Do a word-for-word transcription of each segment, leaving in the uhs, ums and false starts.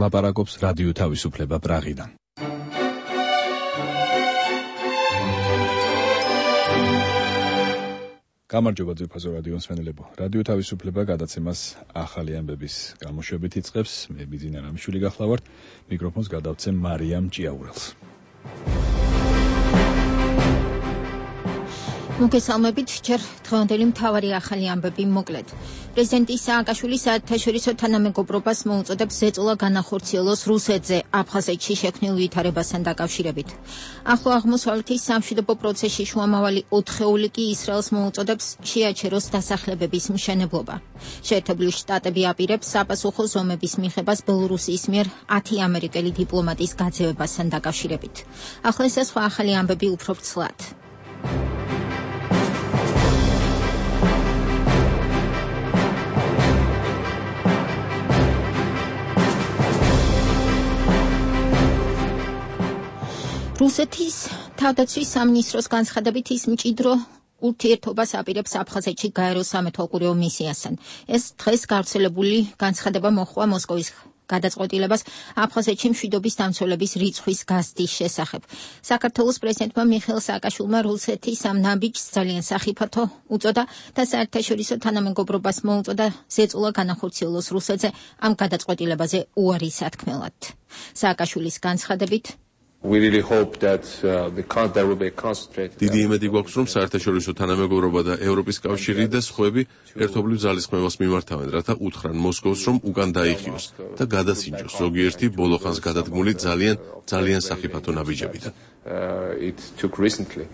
ლაპარაკობს რადიო თავისუფლება პრაღიდან. გამარჯობა ძვირფასო რადიო მსმენელებო. რადიო თავისუფლება გადაცემას ახალი ამბების გამოშვებით იწყებს. მე ბიძინა რამიშვილი გახლავართ. მიკროფონს გადავცემ მარიამ ჭიაურელს. მოგესალმებით, ჯერ დღევანდელი მთავარი ახალი ამბები მოკლედ. პრეზიდენტი სააკაშვილი საერთაშორისო თანამეგობრობას მოუწოდებს ზეწოლა განახორციელოს რუსეთზე აფხაზეთში შექმნილ ვითარებასთან დაკავშირებით. ახლო აღმოსავლეთის სამშვიდობო პროცესში შუამავალი ოთხეული კი ისრაელს მოუწოდებს შეაჩეროს დასახლებების მშენებლობა. შეერთებული შტატები აპირებს საპასუხო ზომების მიღებას ბელორუსიის მიერ ათი ამერიკელი დიპლომატის გაძევებასთან დაკავშირებით. ახლა ეს სხვა ახალი ამბები უფრო ვრცლად. რუსეთის თავდაცვის სამინისტროს განცხადებით ის მჭიდრო ურთიერთობას აპირებს აფხაზეთში გაეროს სამეთვალყურეო მისიასთან. ეს დღეს გავრცელებული განცხადება მოჰყვა მოსკოვის გადაწყვეტილებას აფხაზეთში მშვიდობის დამცველების რიცხვის გაზრდის შესახებ. საქართველოს პრეზიდენტმა მიხეილ სააკაშვილმა რუსეთის ამ ნაბიჯს ძალიან სახიფათო უწოდა და საერთაშორისო თანამეგობრობას მოუწოდა ზეწოლა განახორციელოს რუსეთზე ამ გადაწყვეტილებაზე უარი სათქმელად. სააკაშვილის განცხადებით We really hope that uh, the there will be a concentrated. დიდი იმედი გვაქვს, რომ საერთაშორისო თანამეგობრობა და ევროპის კავშირი და სხვები ერთობლივ ძალისხმევას მიმართავენ, რათა უთხრან მოსკოვს, რომ უკან დაიხიოს და გადასინჯოს ზოგიერთი ბოლოხანს გადადგმული ძალიან ძალიან სახიფათო ნაბიჯებიდან. Uh, it took recently.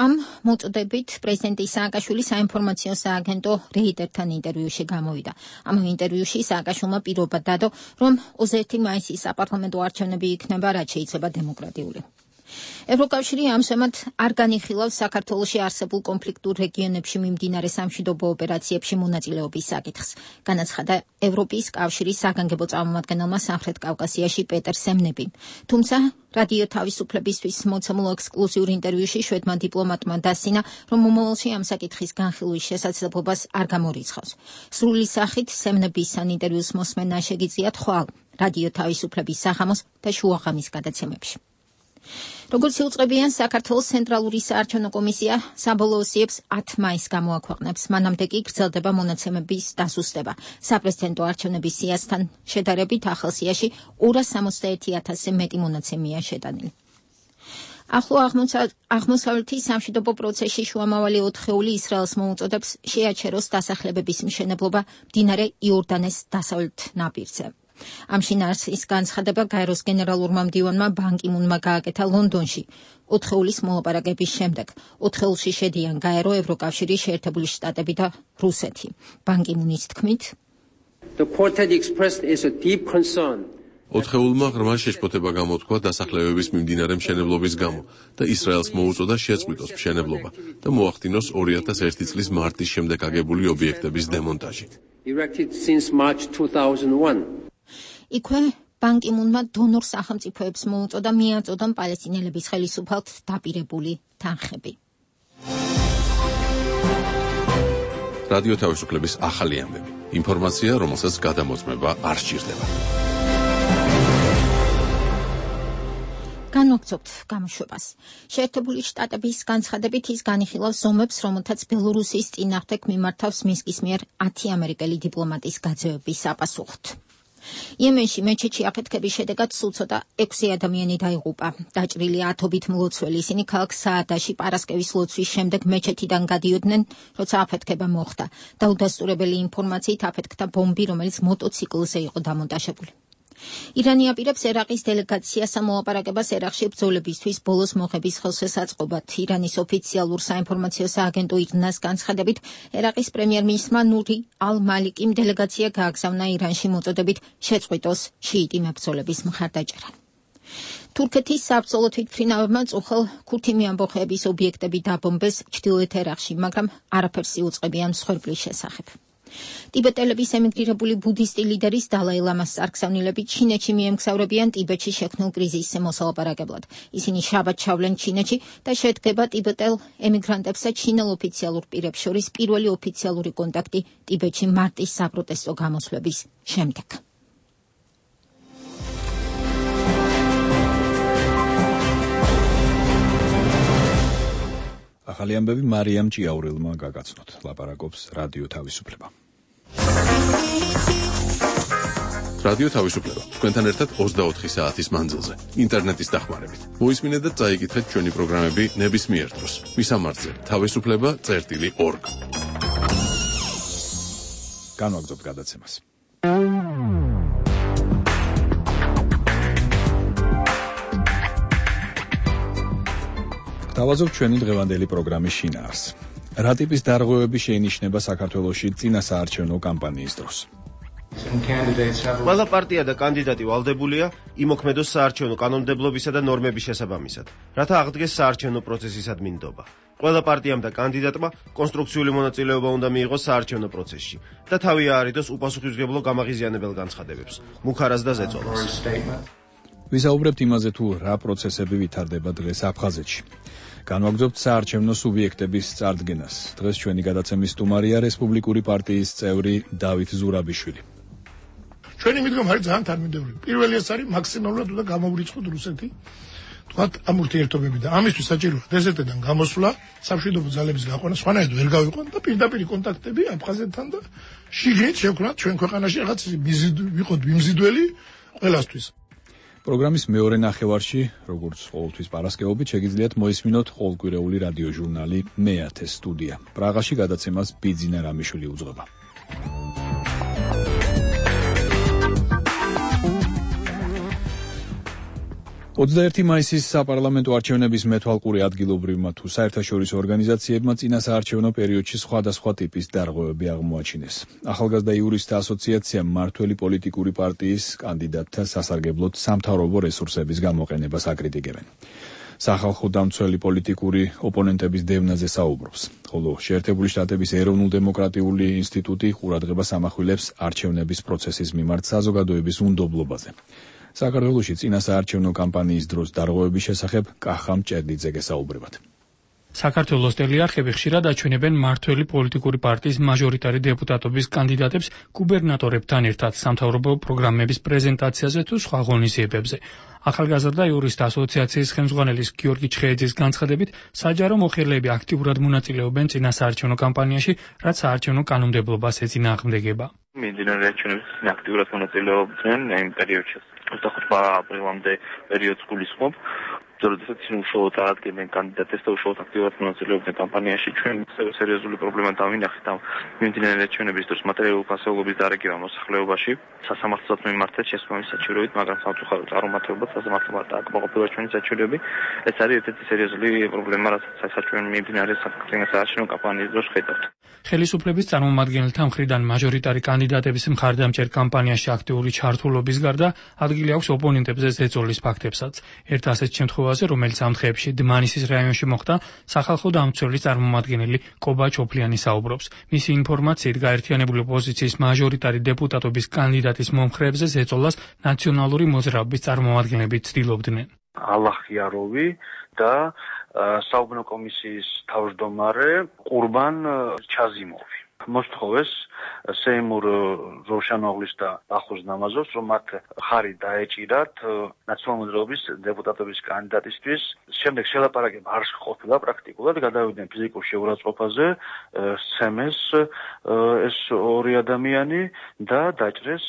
ამ მოწოდებით პრეზიდენტი სააკაშვილი საინფორმაციო სააგენტო რეიტერთან ინტერვიუში გამოვიდა. ამ ინტერვიუში სააკაშვილმა პირობა დადო, რომ ოცდაერთი მაისის საპარლამენტო არჩევნები იქნება, რაც შეიძლება დემოკრატიული. ევროკავშირი ამჟამად არ განიხილავს საქართველოში არსებულ კონფლიქტურ რეგიონებში მიმდინარე სამშვიდობო ოპერაციებში მონაწილეობის საკითხს. განაცხადა ევროპის კავშირის საგანგებო წარმომადგენელმა სამხრეთ კავკასიაში პეტერ სემნებიმ. თუმცა რადიო თავისუფლებისთვის მოცემულ ექსკლუზიურ ინტერვიუში შვედმა დიპლომატმა დასცინა, რომ მომავალში ამ საკითხის განხილვის შესაძლებლობას არ გამორიცხავს. სრული სახით სემნების ან ინტერვიუს მოსმენა შეგიძლიათ ხვალ რადიო თავისუფლების სახამოს და შუაღამის გადაცემებში. როგორც იუწყებიან, საქართველოს ცენტრალური საარჩევნო კომისია საბოლოო სიებს ათ მაისს გამოაქვეყნებს. მანამდე კი გრძელდება მონაცემების დასუსტება. საპრეზიდენტო არჩევნების სიასთან შედარებით ახალ სიაში ორას სამოცდაერთი ათასზე მეტი მონაცემია შეტანილი. ახლო აღმოსავლეთის სამშვიდობო პროცესში შუამავალი ოთხეული ისრაელს მოუწოდებს შეაჩეროს დასახლებების მშენებლობა მდინარე იორდანეს დასავლეთ ნაპირზე. ამ შინაარსის განცხადება გაეროს გენერალურმა მდივანმა ბან კი მუნმა გააკეთა ლონდონში ოთხეულის მოლაპარაკების შემდეგ. ოთხეულში შედიან გაერო, ევროკავშირი, შეერთებული შტატები და რუსეთი. ბან კი მუნის თქმით, ოთხეულმა ღრმა შეშფოთება გამოთქვა დასახლებების მიმდინარე მშენებლობის გამო და ისრაელს მოუწოდა შეწყვიტოს მშენებლობა და მოახდინოს ორი ათას ერთი წლის მარტის შემდეგ აგებული ობიექტების დემონტაჟი. იქვე ბან კი მუნმა დონორ სახელმწიფოებს მოუწოდა მიაწოდონ პალესტინელების ხელისუფალთ დაპირებული თანხები. რადიო თავისუფლების ახალი ამბები. ინფორმაცია, რომელსაც გადამოწმება არ სჭირდება. განვაგრძობთ გამოშვებას. შეერთებული შტატების განცხადებით ის განიხილავს ზომებს, რომელთაც ბელორუსიის წინააღმდეგ მიმართავს მინსკის მიერ ათი ამერიკელი დიპლომატის გაძევების საპასუხოდ. იემენში მეჩეთში აფეთქების შედეგად სულ ცოტა ექვსი ადამიანი დაიღუპა. დაჭრილი ათობით მლოცველი, ისინი ქალაქ საადაში პარასკევის ლოცვის შემდეგ მეჩეთიდან გადიოდნენ, როცა აფეთქება მოხდა. დაუდასტურებელი ინფორმაციით აფეთქდა ბომბი, რომელიც მოტოციკლზე იყო დამონტაჟებული. ირანი აპირებს ერაყის დელეგაციას მოლაპარაკებას ერაყში ბრძოლებისთვის ბოლოს მოხების ხელშესაწყობად. ირანის ოფიციალურ საინფორმაციო სააგენტო ირნას განცხადებით, ერაყის პრემიერ-მინისტრმა ნური ალ-მალიკიმ დელეგაცია გააგზავნა ირანში მოწოდებით შეწყვიტოს შიიტი მებრძოლების მხარდაჭერა. თურქეთის საბრძოლო თვითმფრინავებმა წუხელ ქურთი ამბოხეების ობიექტები დაბომბეს ჩრდილოეთ ერაყში, მაგრამ არაფერს იუწყებიან მსხვერპლის შესახებ. ტიბეტელების ემიგრირებული ბუდისტი ლიდერის დალაი ლამას წარგზავნილები ჩინეთში მიემგზავრებიან ტიბეტში შექმნილ კრიზისზე მოსალაპარაკებლად. ისინი შაბათს ჩავლენ ჩინეთში და შედგება ტიბეტელ ემიგრანტებს და ჩინელ ოფიციალურ პირებს შორის პირველი ოფიციალური კონტაქტი ტიბეტში მარტის საპროტესტო გამოსვლების შემდეგ. ახალი ამბები მარიამ ჭიაურელმა გაგაცნოთ. ლაპარაკობს რადიო თავისუფლება. რადიო თავისუფლება. თქვენთან ერთად ოცდაოთხი საათის მანძილზე. ინტერნეტის დახმარებით. მოისმინეთ და წაიკითხეთ ჩვენი პროგრამები ნებისმიერ დროს. მისამართზე თავისუფლება წერტილი ორგ. განვაგრძობთ გადაცემას. დავაზობ ჩვენი დღევანდელი პროგრამის შინაარსს. რა ტიპის დარღვევები შეინიშნება საქართველოში წინა საარჩევნო კამპანიის დროს? ყველა პარტია და კანდიდატი ვალდებულია იმოქმედოს საარჩევნო კანონმდებლობისა და ნორმების შესაბამისად, რათა აღდგეს საარჩევნო პროცესისადმი ნდობა. ყველა პარტიამ და კანდიდატმა კონსტრუქციული მონაწილეობა უნდა მიიღოს საარჩევნო პროცესში და თავი აარიდოს უპასუხისმგებლო გამაღიზიანებელ განცხადებებს, მუქარას და ზეწოლას. ვისაუბრებთ იმაზე, თუ რა პროცესები ვითარდება დღეს აფხაზეთში. განვაგრძობთ საარჩევნო სუბიექტების წარდგენას. დღეს ჩვენი გადაცემის სტუმარია რესპუბლიკური პარტიის წევრი დავით ზურაბიშვილი. ჩვენი მიდგომა არის ძალიან თანმიმდევრული. პირველი ეს არის მაქსიმალურად უნდა გამოვრიცხოთ რუსეთი. თქვათ ამ ურთიერთობები და ამისთვის საჭიროა დეზერტიდან გამოსვლა, სამშვიდობო ძალების გაყვანა, სხვანაირად ვერ გავიყვან და პირდაპირ კონტაქტები აფხაზეთთან და შიგნით შევქმნათ ჩვენ ქვეყანაში რაღაც ვიყოთ მიმზიდველი ყველასთვის. პროგრამის მეორე ნახევარში, როგორც ყოველთვის პარასკევობით, შეგიძლიათ მოისმინოთ ყოველკვირეული რადიო ჟურნალი მეათე სტუდია. პრაღაში გადაცემას ბიძინა რამიშვილი უძღვება. ოცდაერთი მაისის საპარლამენტო არჩევნების მეთვალყური ადგილობრივმა თუ საერთაშორისო ორგანიზაციებმა წინა საარჩევნო პერიოდში სხვადასხვა ტიპის დარღვევები აღმოაჩინეს. ახალგაზრდა იურისტთა ასოციაციამ მმართველი პოლიტიკური პარტიის კანდიდატთა სასარგებლოდ სამთავრობო რესურსების გამოყენებას აკრიტიკებენ. სახალხო დამცველი პოლიტიკური ოპონენტების დევნაზე საუბრობს, ხოლო შეერთებული შტატების ეროვნულ-დემოკრატიული ინსტიტუტი ყურადღებას ამახვილებს არჩევნების პროცესის მიმართ საზოგადოების უნდობლობაზე. საქართველოში წინა საარჩევნო კამპანიის დროს დარღვევების შესახებ კახამ ჭერდიძე გესაუბრებათ. საქართველოს ტელეარხები ხშირად აჩვენებენ მმართველი პოლიტიკური პარტიის მაჟორიტარი დეპუტატობის კანდიდატებს გუბერნატორებთან ერთად სამთავრობო პროგრამების პრეზენტაციაზე თუ სხვა ღონისძიებებზე. ახალგაზრდა იურისტთა ასოციაციის ხელმძღვანელის გიორგი ჩხეიძის განცხადებით, საჯარო მოხელეები აქტიურად მონაწილეობენ წინა საარჩევნო კამპანიაში, რაც საარჩევნო კანონმდებლობას ეწინააღმდეგება. მიმდინარე არჩევნებში აქტიურად მონაწილეობდნენ იმ პერიოდში. ოცდახუთი აპრილამდე პერიოდს გულისხმობ. როდესაც უშუალოდ აღადგენენ კანდიდატებს და უშუალოდ აქტიურად მონაწილეობდნენ კამპანიაში, ჩვენ სერიოზული პრობლემა დავინახეთ ამ მიმდინარე არჩევნების დროს მატერიალური ფასეულობის დარიგება მოსახლეობაში. სასამართლოსაც მიმართეთ შესაბამისი საჩივრებით, მაგრამ სამწუხაროდ წარუმატებლად სასამართლომ არ დააკმაყოფილა ჩვენი საჩივრები. ეს არის ერთ-ერთი სერიოზული პრობლემა, რასაც საჩვენო მიმდინარე საარჩევნო კამპანიის დროს ხედავთ. ხელისუფლების წარმომადგენელთა მხრიდან მაჟორიტარი კანდიდატების მხარდამჭერ კამპანიაში აქტიური ჩართულობის გარდა ადგილი აქვს ოპონენტებზე ზეწოლის ფაქტებსაც. ერთ ასეთ შემთხვევაზე, რომელიც ამ დღეებში დმანისის რაიონში მოხდა, სახალხო დამცველის წარმომადგენელი კობა ჩოფლიანი საუბრობს. მისი ინფორმაციით, გაერთიანებული ოპოზიციის მაჟორიტარი დეპუტატობის კანდიდატის მომხრეებზე ზეწოლას ნაციონალური მოძრაობის წარმომადგენლები ცდილობდნენ. ალახიაროვი და საუბნო კომისიის თავმჯდომარე ყურბან ჩაზიმოვი. მოსთხოვეს სეიმურ როშანოღლის და ახუზ ნამაზოვს, რომ მათ ხარი დაეჭირათ ნაციონალური მოძრაობის დეპუტატობის კანდიდატისთვის. შემდეგ შელაპარაკება არ ყოფილა პრაქტიკულად, გადავიდნენ ფიზიკურ შეურაცხყოფაზე, სცემეს ეს ორი ადამიანი და დაჭრეს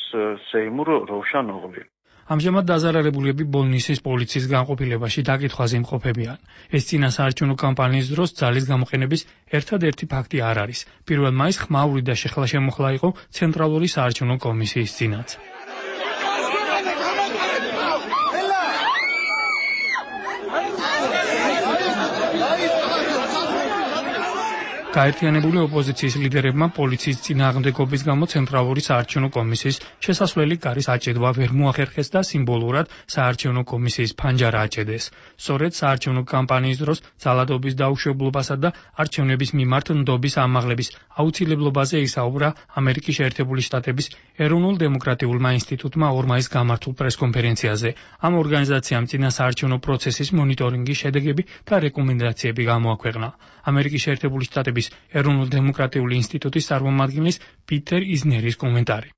სეიმურ როშანოღლი. ამჟამად დაზარალებულები ბოლნისის პოლიციის განყოფილებაში დაკითხვაზე იმყოფებიან. ეს წინა საარჩევნო კამპანიის დროს ძალის გამოყენების ერთადერთი ფაქტი არ არის. პირველ მაისს ხმაური და შეხლა-შემოხლა იყო ცენტრალური საარჩევნო კომისიის წინაც. გაერთიანებული ოპოზიციის ლიდერებმა პოლიციის წინააღმდეგობის გამო ცენტრალური საარჩევნო კომისიის შესასვლელი კარის აჭედვა ვერ მოახერხეს და სიმბოლურად საარჩევნო კომისიის ფანჯარა აჭედეს. სწორედ საარჩევნო კამპანიის დროს ძალადობის დაუშვებლობასა და არჩევნების მიმართ ნდობის ამაღლების აუცილებლობაზე ისაუბრა ამერიკის შეერთებული შტატების ეროვნულ-დემოკრატიულმა ინსტიტუტმა ორ მაისს გამართულ პრესკონფერენციაზე. ამ ორგანიზაციამ წინა საარჩევნო პროცესის მონიტორინგის შედეგები და რეკომენდაციები გამოაქვეყნა. ამერიკის შეერთებული შტატების ეროვნულ-დემოკრატიული ინსტიტუტის წარმომადგენლის პიტერ იზნერის კომენტარი.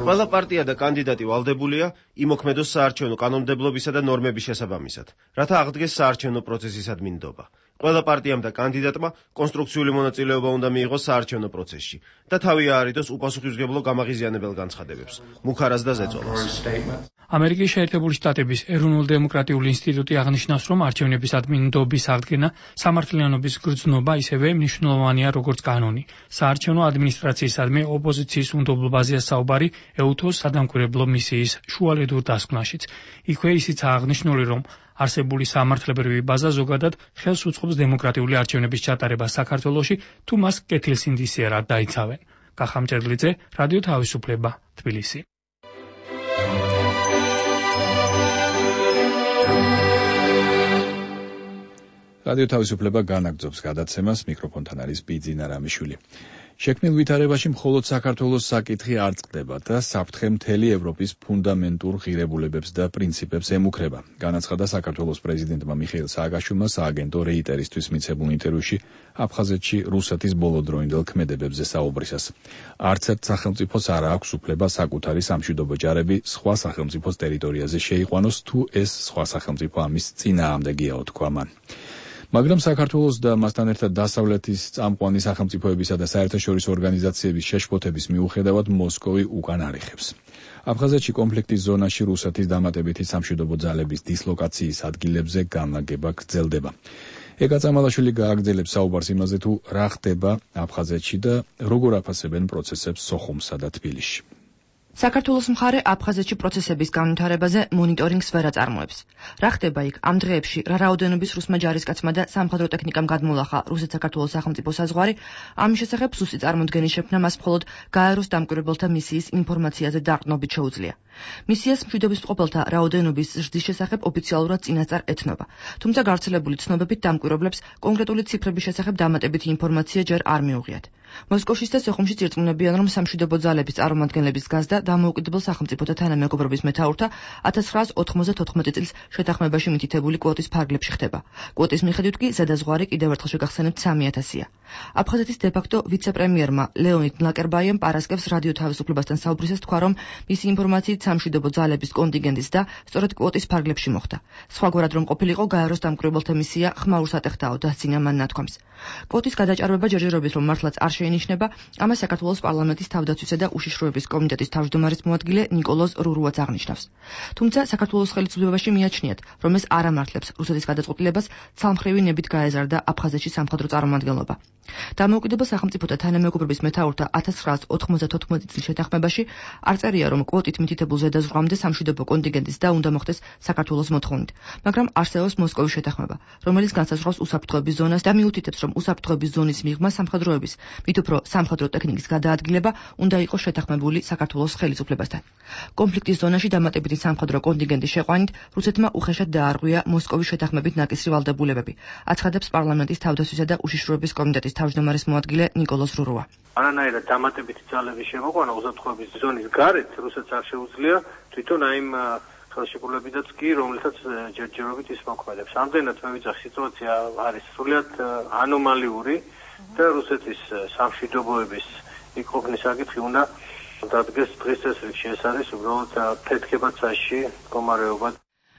ყველა პარტია და კანდიდატი ვალდებულია იმოქმედოს საარჩევნო კანონმდებლობისა და ნორმების შესაბამისად, რათა აღდგეს საარჩევნო პროცესისადმი ნდობა. ყველა პარტიამ და კანდიდატმა კონსტრუქციული მონაწილეობა უნდა მიიღოს საარჩევნო პროცესში და თავი აარიდოს უპასუხისმგებლო გამაღიზიანებელ განცხადებებს, მუხარას და ზეწოლას. ამერიკის შეერთებული შტატების ეროვნულ-დემოკრატიული ინსტიტუტი აღნიშნავს, რომ არჩევნებისადმი ნდობის აღდგენა სამართლიანობის გრძნობა ისევე მნიშვნელოვანია როგორც კანონი. საარჩევნო ადმინისტრაციისადმი ოპოზიციის უნდობლობაზეა საუბარი ეუთოს სადამკვირვებლო მისიის შუალედურ დასკვნაშიც. იქვე ისიც აღნიშნული, რომ არსებული სამართლებრივი ბაზა ზოგადად ხელს უწყობს დემოკრატიული არჩევნების ჩატარებას საქართველოში, თუ მას კეთილსინდისიერად დაიცავენ. კახამჭერლიძე, რადიო თავისუფლება, თბილისი. რადიო თავისუფლება განაგრძობს გადაცემას, მიკროფონთან არის ბიძინა რამიშვილი. შექმნილ ვითარებაში მხოლოდ საქართველოს საკითხი არ წყდება და საფრთხე მთელი ევროპის ფუნდამენტურ ღირებულებებს და პრინციპებს ემუქრება. განაცხადა საქართველოს პრეზიდენტმა მიხეილ სააკაშვილმა სააგენტო რეიტერისთვის მიცემულ ინტერვიუში აფხაზეთში რუსეთის ბოლოდროინდელ ქმედებებზე საუბრისას. არც ერთ სახელმწიფოს არ აქვს უფლება საკუთარი სამშვიდობო ჯარები სხვა სახელმწიფოს ტერიტორიაზე შეიყვანოს, თუ ეს სხვა სახელმწიფო ამის წინააღმდეგია, თქვა მან. მაგრამ საქართველოს და მასთან ერთად დასავლეთის წამყვანი სახელმწიფოებისა და საერთაშორისო ორგანიზაციების შეშფოთების მიუხედავად მოსკოვი უკან არ იხევს. აფხაზეთში კონფლიქტის ზონაში რუსეთის დამატებითი სამშვიდობო ძალების დისლოკაციის ადგილებზე განლაგება გრძელდება. ეკა წამალაშვილი გააგრძელებს საუბარს იმაზე, თუ რა ხდება აფხაზეთში და როგორ აფასებენ პროცესებს სოხუმსა და თბილისში. საქართველოს მხარე აფხაზეთში პროცესების განვითარებაზე მონიტორინგს ვერ აწარმოებს. რა ხდება იქ ამ დღეებში, რა რაოდენობის რუსმა ჯარისკაცმა და სამხედრო ტექნიკამ გადმოლახა რუსეთ-საქართველოს სახელმწიფო საზღვარი, ამის შესახებ სუსტი წარმოდგენის შექმნა მას მხოლოდ გაეროს დამკვირვებელთა მისიის ინფორმაციაზე დაყრდნობით შეუძლია. მისიას მშვიდობის მყოფელთა რაოდენობის ზრდის შესახებ ოფიციალურად წინასწარ ეთნობა. თუმცა გავრცელებული ცნობებით დამკვირვებლებს კონკრეტული ციფრების შესახებ დამატებითი ინფორმაცია ჯერ არ მიუღიათ. მოსკოვში და სოხუმში წირწმუნებიან, რომ სამშვიდობო ძალების წარმომადგენლების გაზდა დამოუკიდებელ სახელმწიფოთა თანამეგობრობის მეთაურთა ათას ცხრაას ოთხმოცდათოთხმეტი წლის შეთანხმებაში მითითებული კვოტის ფარგლებში ხდება. კვოტის მიხედვით კი ზედაზღვარი კიდევ ერთხელ შეგახსენებთ სამი ათასია. აფხაზეთის დე-ფაქტო ვიცე-პრემიერმა ლეონიდ მლაკერბაიემ პარასკევს რადიო თავისუფლებასთან საუბრისას თქვა, რომ მისი ინფორმაციით სამშვიდობო ძალების კონტინგენტის და სწორედ კვოტის ფარგლებში მოხდა. სხვაგვარად რომ ყოფილიყო, გაეროს დამკვირვებელთა მისია ხმაურ სატეხტაო დასცინა მან ნათქვამს. კვოტის გადაჭარბება ჯერჯერობით რომ მართლაც არ შეინიშნება, ამას საქართველოს პარლამენტის თავდაცვისა და უშიშროების კომიტეტის თავმჯდომარის მოადგილე ნიკოლოზ რურუაც აღნიშნავს. თუმცა საქართველოს ხელისუფლებაში მიაჩნიათ, რომ ეს არ ამართლებს რუსეთის გადაწყვეტილებას ცალმხრივი ნებით გაეზარდა აფხაზეთში სამხედრო წარმომადგენლობა. დამოუკიდებელ სახელმწიფოთა თანამეგობრობის მეთაურთა ათას ცხრაას ოთხმოცდათოთხმეტი წლის შეთანხმებაში არ წერია, რომ კვოტით მითითებულ ზედაზღვრამდე სამშვიდობო კონტინგენტის და უნდა მოხდეს საქართველოს მოთხოვნით, მაგრამ არსებობს მოსკოვის შეთანხმება, რომელიც განსაზღვრავს უსაფრთხოების ზონას და მიუთითებს, რომ უსაფრთხოების ზონის მიღმა სამხედროების, მით უფრო სამხედრო ტექნიკის გადაადგილება უნდა იყოს შეთანხმებული საქართველოს ხელისუფლებასთან. კონფლიქტის ზონაში დამატებითი სამხედრო კონტინგენტის შეყვანით რუსეთმა უხეშად დაარღვია მოსკოვის შეთანხმებით ნაკისრი ვალდებულებები, აცხადებს პარლამენტის თავდაცვისა და უშიშროების კომიტეტის თავმჯდომარის მოადგილე ნიკოლოზ რურუა. არანაირად დამატებითი ძალების შემოყვანა უსაფრთხოების ზონის გარეთ რუსეთს არ შეუძლია თვითონ აი იმ ხელშეკრულებითაც კი, რომლითაც ჯერჯერობით ის მოქმედებს. ამდენად მე ვიცახ, სიტუაცია არის სრულიად ანომალიური და რუსეთის სამშვიდობოების იქ ყოფნის საკითხი უნდა დადგეს დღის წესრიგში. ეს არის უბრალოდ ფეთქებაცაში მდგომარეობა.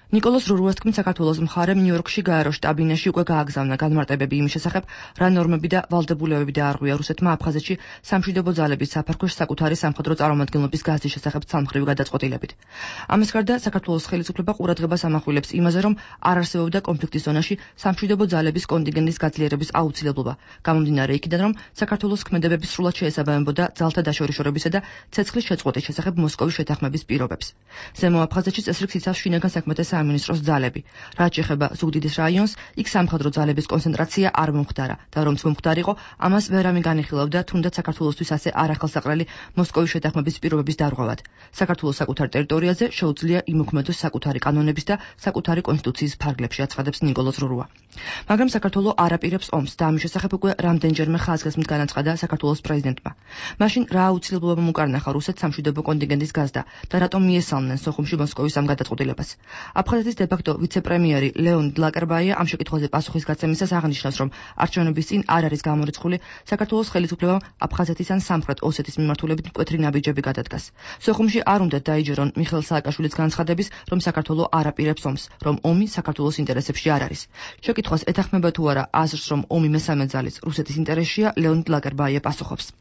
ნიკოლოზ რურუას თქმით, საქართველოს მხარემ ნიუ-იორკში გაეროს შტაბ-ბინაში უკვე გააგზავნა განმარტებები იმის შესახებ, რა ნორმები და ვალდებულებები დაარღვია რუსეთმა აფხაზეთში სამშვიდობო ძალების საფარქვეშ საკუთარი სამხედრო წარმომადგენლობის გაზის შესახებ ცალმხრივი გადაწყვეტილებით. ამას გარდა საქართველოს ხელისუფლება ყურადღებას ამახვილებს იმაზე, რომ არ არსებობდა კონფლიქტის ზონაში სამშვიდობო ძალების კონტინგენტის გაძლიერების აუცილებლობა, გამომდინარე იქიდან, რომ საქართველოს ქმედებები სრულად შეესაბამებოდა ძალთა დაშორიშორებისა და ცეცხლის შეწყვეტის შესახებ მოსკოვის შეთანხმების პირობებს. ზემო აფხაზეთში წესრიგს იცავს შინაგან საქმეთა სამინისტროს ძალები. რაც შეეხება ზუგდიდის რაიონს, იქ სამხედრო ძალების კონცენტრაცია არ მომხდარა და რომც მომხდარიყო, ამას ვერავინ განიხილავდა, თუნდაც საქართველოსთვის ასე არახელსაყრელი მოსკოვის შეთანხმების პირობების დარღვევად. საქართველოს საკუთარ ტერიტორიაზე შეუძლია იმოქმედოს საკუთარი კანონების და საკუთარი კონსტიტუციის ფარგლებში, აცხადებს ნიკოლოზ რურუა. მაგრამ საქართველო არ აპირებს ომს და ამის შესახებ უკვე რამდენჯერმე ხაზგასმით განაცხადა საქართველოს პრეზიდენტმა. მაშინ რა აუცილებლობა მოკარნახა რუსეთს სამშვიდობო კონტინგენტის გაზდა და რატომ მიესალმნენ სოხუმში მოსკოვის ამ გადაწყვეტილებას. აფხაზეთის დე-ფაქტო ვიცე-პრემიერი ლეონიდ ლაკერბაია ამ შეკითხვაზე პასუხის გაცემისას აღნიშნავს, რომ არჩევნების წინ არ არის გამორიცხული საქართველოს ხელისუფლებამ აფხაზეთის ან სამხრეთ ოსეთის მიმართულებით მკვეთრი ნაბიჯები გადადგას. სოხუმში არ უნდა დაიჯერონ მიხეილ სააკაშვილის განცხადების, რომ საქართველო არ აპირებს ომს, რომ ომი საქართველოს ინტერესებში არ არის. შეკითხვას ეთანხმება თუ არა აზრს, რომ ომი მესამე ძალის რუსეთის ინტერესშია, ლეონიდ ლაკერბაია პასუხობს.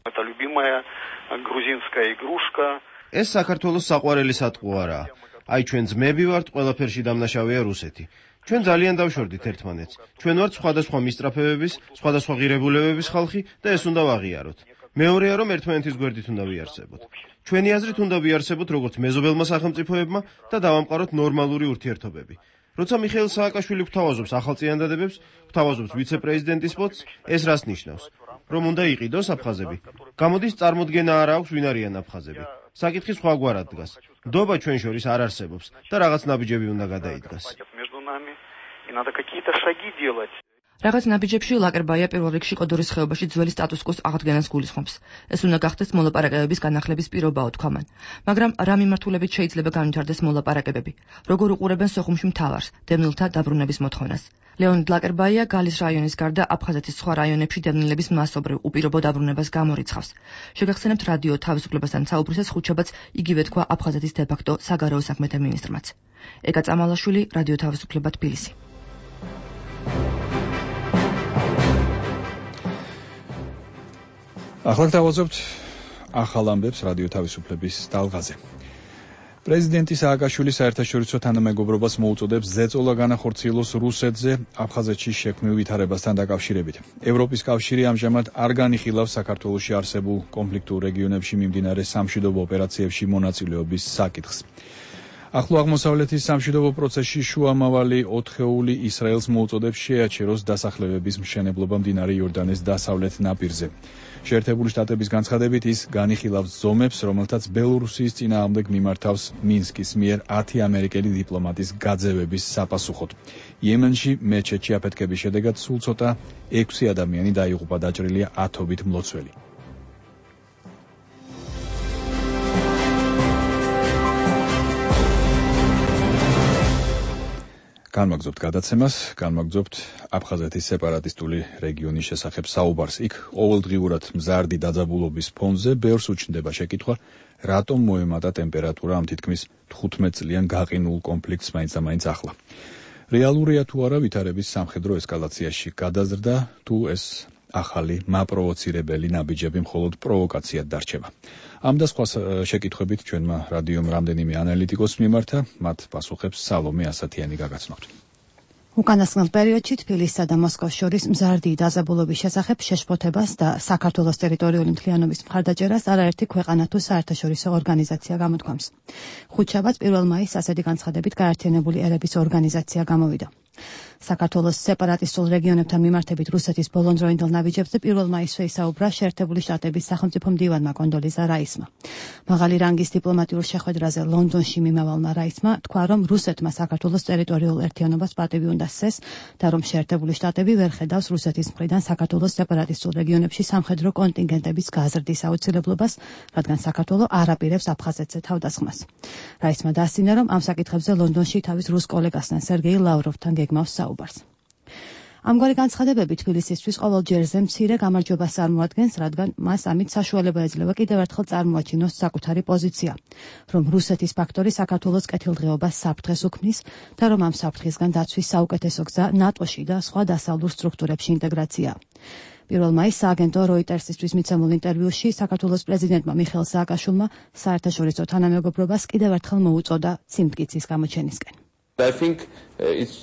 ეს საქართველოს საყვარელი სატყუ არაა. აი ჩვენ ძმები ვართ, ყველაფერში დამნაშავეა რუსეთი. ჩვენ ძალიან დავშორდით ერთმანეთს. ჩვენ ვართ სხვადასხვა მისწრაფებების, სხვადასხვა ღირებულებების ხალხი და ეს უნდა ვაღიაროთ. მეორეა, რომ ერთმანეთის გვერდით უნდა ვიარსებოთ. ჩვენი აზრით უნდა ვიარსებოთ როგორც მეზობელმა სახელმწიფოებმა და დავამყაროთ ნორმალური ურთიერთობები. როცა მიხეილ სააკაშვილი გვთავაზობს ახალ წინადადებებს, გვთავაზობს ვიცე-პრეზიდენტის პოსტს, ეს რას ნიშნავს? რომ უნდა იყიდოს აფხაზები. გამოდის წარმოდგენა არ აქვს ვინ არიან აფხაზები. საკითხი სხვაგვარად დგას. ნდობა ჩვენ შორის არ არსებობს და რაღაც ნაბიჯები უნდა გადაიდგას. რაღაც ნაბიჯებში ლაკერბაია პირველ რიგში კოდორის ხეობაში ძველი სტატუს-კვოს აღდგენას გულისხმობს. ეს უნდა გახდეს მოლაპარაკებების განახლების პირობაო თქვა მან. მაგრამ რა მიმართულებით შეიძლება განვითარდეს მოლაპარაკებები? როგორ უყურებენ სოხუმში მთავარს, დევნილთა დაბრუნების მოთხოვნას? ლეონიდ ლაკერბაია გალის რაიონის გარდა აფხაზეთის სხვა რაიონებში დევნილების მასობრივ უპირობო დაბრუნებას გამორიცხავს. შეგახსენებთ რადიო თავისუფლებასთან საუბრისას ხუთშაბათს იგივე თქვა აფხაზეთის დე-ფაქტო საგარეო საქმეთა მინისტრმაც. ეკა წამალაშვილი, რადიო თავისუფლება, თბილისი. ახლა გავაზობთ ახალ ამბებს რადიო თავისუფლების ტალღაზე. პრეზიდენტი სააკაშვილი საერთაშორისო თანამეგობრობას მოუწოდებს ზეწოლა განახორციელოს რუსეთზე აფხაზეთში შექმნილ ვითარებასთან დაკავშირებით. ევროპის კავშირი ამჟამად არ განიხილავს საქართველოში არსებულ კონფლიქტურ რეგიონებში მიმდინარე სამშვიდობო ოპერაციებში მონაწილეობის საკითხს. ახლო აღმოსავლეთის სამშვიდობო პროცესში შუამავალი ოთხეული ისრაელს მოუწოდებს შეაჩეროს დასახლებების მშენებლობა მდინარე იორდანეს დასავლეთ ნაპირზე. შეერთებული შტატების განცხადებით ის განიხილავს ზომებს, რომელთაც ბელორუსიის წინააღმდეგ მიმართავს მინსკის მიერ ათი ამერიკელი დიპლომატის გაძევების საპასუხოდ. იემენში მეჩეთში აფეთქების შედეგად სულ ცოტა ექვსი ადამიანი დაიღუპა, დაჭრილია ათობით მლოცველი. განმაგზობთ გადაცემას, განმაგზობთ აფხაზეთის სეპარატისტული რეგიონის შესახებ საუბარს. იქ ყოველდღიურად მზარდი დაძაბულობის ფონზე ბევრს უჩნდება შეკითხვა, რატომ მოემატა ტემპერატურა ამ თითქმის თხუთმეტ წლიან გაყინულ კონფლიქტს მაინც-ამაინც ახლა. რეალურია თუ არა ვითარების სამხედრო ესკალაციაში გადაზრდა, თუ ეს ახალი მაპროვოცირებელი ნაბიჯები მხოლოდ პროვოკაციად დარჩება. ამ და სხვა შეკითხვებით ჩვენმა რადიომ რამდენიმე ანალიტიკოს მიმართა, მათ პასუხებს სალომე ასათიანი გაგაცნობთ. უკანასკნელ პერიოდში თბილისსა და მოსკოვს შორის მზარდი დაძაბულობის შესახებ შეშფოთებას და საქართველოს ტერიტორიული მთლიანობის მხარდაჭერას არაერთი ქვეყანა თუ საერთაშორისო ორგანიზაცია გამოთქვამს. ხუთშაბათს პირველ მაისს ასეთი განცხადებით გაერთიანებული ერების ორგანიზაცია გამოვიდა. საქართველოს სეპარატისტულ რეგიონებთან მიმართებით რუსეთის ბოლონდროინდელ ნაბიჯებზე პირველ მაისს ისაუბრა შეერთებული შტატების სახელმწიფო მდივანმა კონდოლიზა რაისმა. მაღალი რანგის დიპლომატიურ შეხვედრაზე ლონდონში მიმავალმა რაისმა თქვა, რომ რუსეთმა საქართველოს ტერიტორიულ ერთიანობას პატივი უნდა სცეს და რომ შეერთებული შტატები ვერ ხედავს რუსეთის მხრიდან საქართველოს სეპარატისტულ რეგიონებში სამხედრო კონტინგენტების გაზრდის აუცილებლობას, რადგან საქართველო არ აპირებს აფხაზეთზე თავდასხმას. რაისმა დასცინა, რომ ამ საკითხებზე ლონდონში თავის რუს კოლეგასთან სერგეი ლავროვთან გეგმავს საუბარს. ამგვარი განცხადებები თბილისისთვის ყოველ ჯერზე მცირე გამარჯვებას წარმოადგენს, რადგან მას ამით საშუალება ეძლევა კიდევ ერთხელ წარმოაჩინოს საკუთარი პოზიცია, რომ რუსეთის ფაქტორი საქართველოს კეთილდღეობას საფრთხეს უქმნის და რომ ამ საფრთხისგან დაცვის საუკეთესო გზა ნატოში და სხვა დასავლურ სტრუქტურებში ინტეგრაციაა. პირველ მაისს სააგენტო როიტერსისთვის მიცემულ ინტერვიუში საქართველოს პრეზიდენტმა მიხეილ სააკაშვილმა საერთაშორისო თანამეგობრობას კიდევ ერთხელ მოუწოდა ციმტკიცის გამოჩენისკენ. I think uh, it's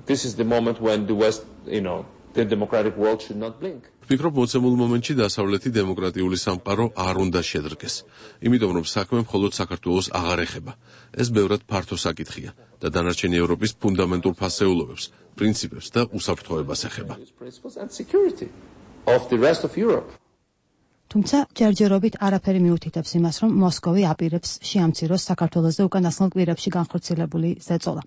this is the moment when the West, you know, the democratic world should not blink. ვფიქრობ, მოცემულ მომენტში დასავლეთი დემოკრატიული სამყარო არ უნდა შედრგეს. იმიტომ რომ საქმე მხოლოდ საქართველოს აღარ ეხება. ეს ბევრად ფართო საკითხია და დანარჩენი ევროპის ფუნდამენტურ ფასეულობებს, პრინციპებს და უსაფრთხოებას ეხება. თუმცა ჯერჯერობით არაფერი მიუთითებს იმას, რომ მოსკოვი აპირებს შეამციროს საქართველოს უკანასკნელ კვირებში განხორციელებული ზეწოლა.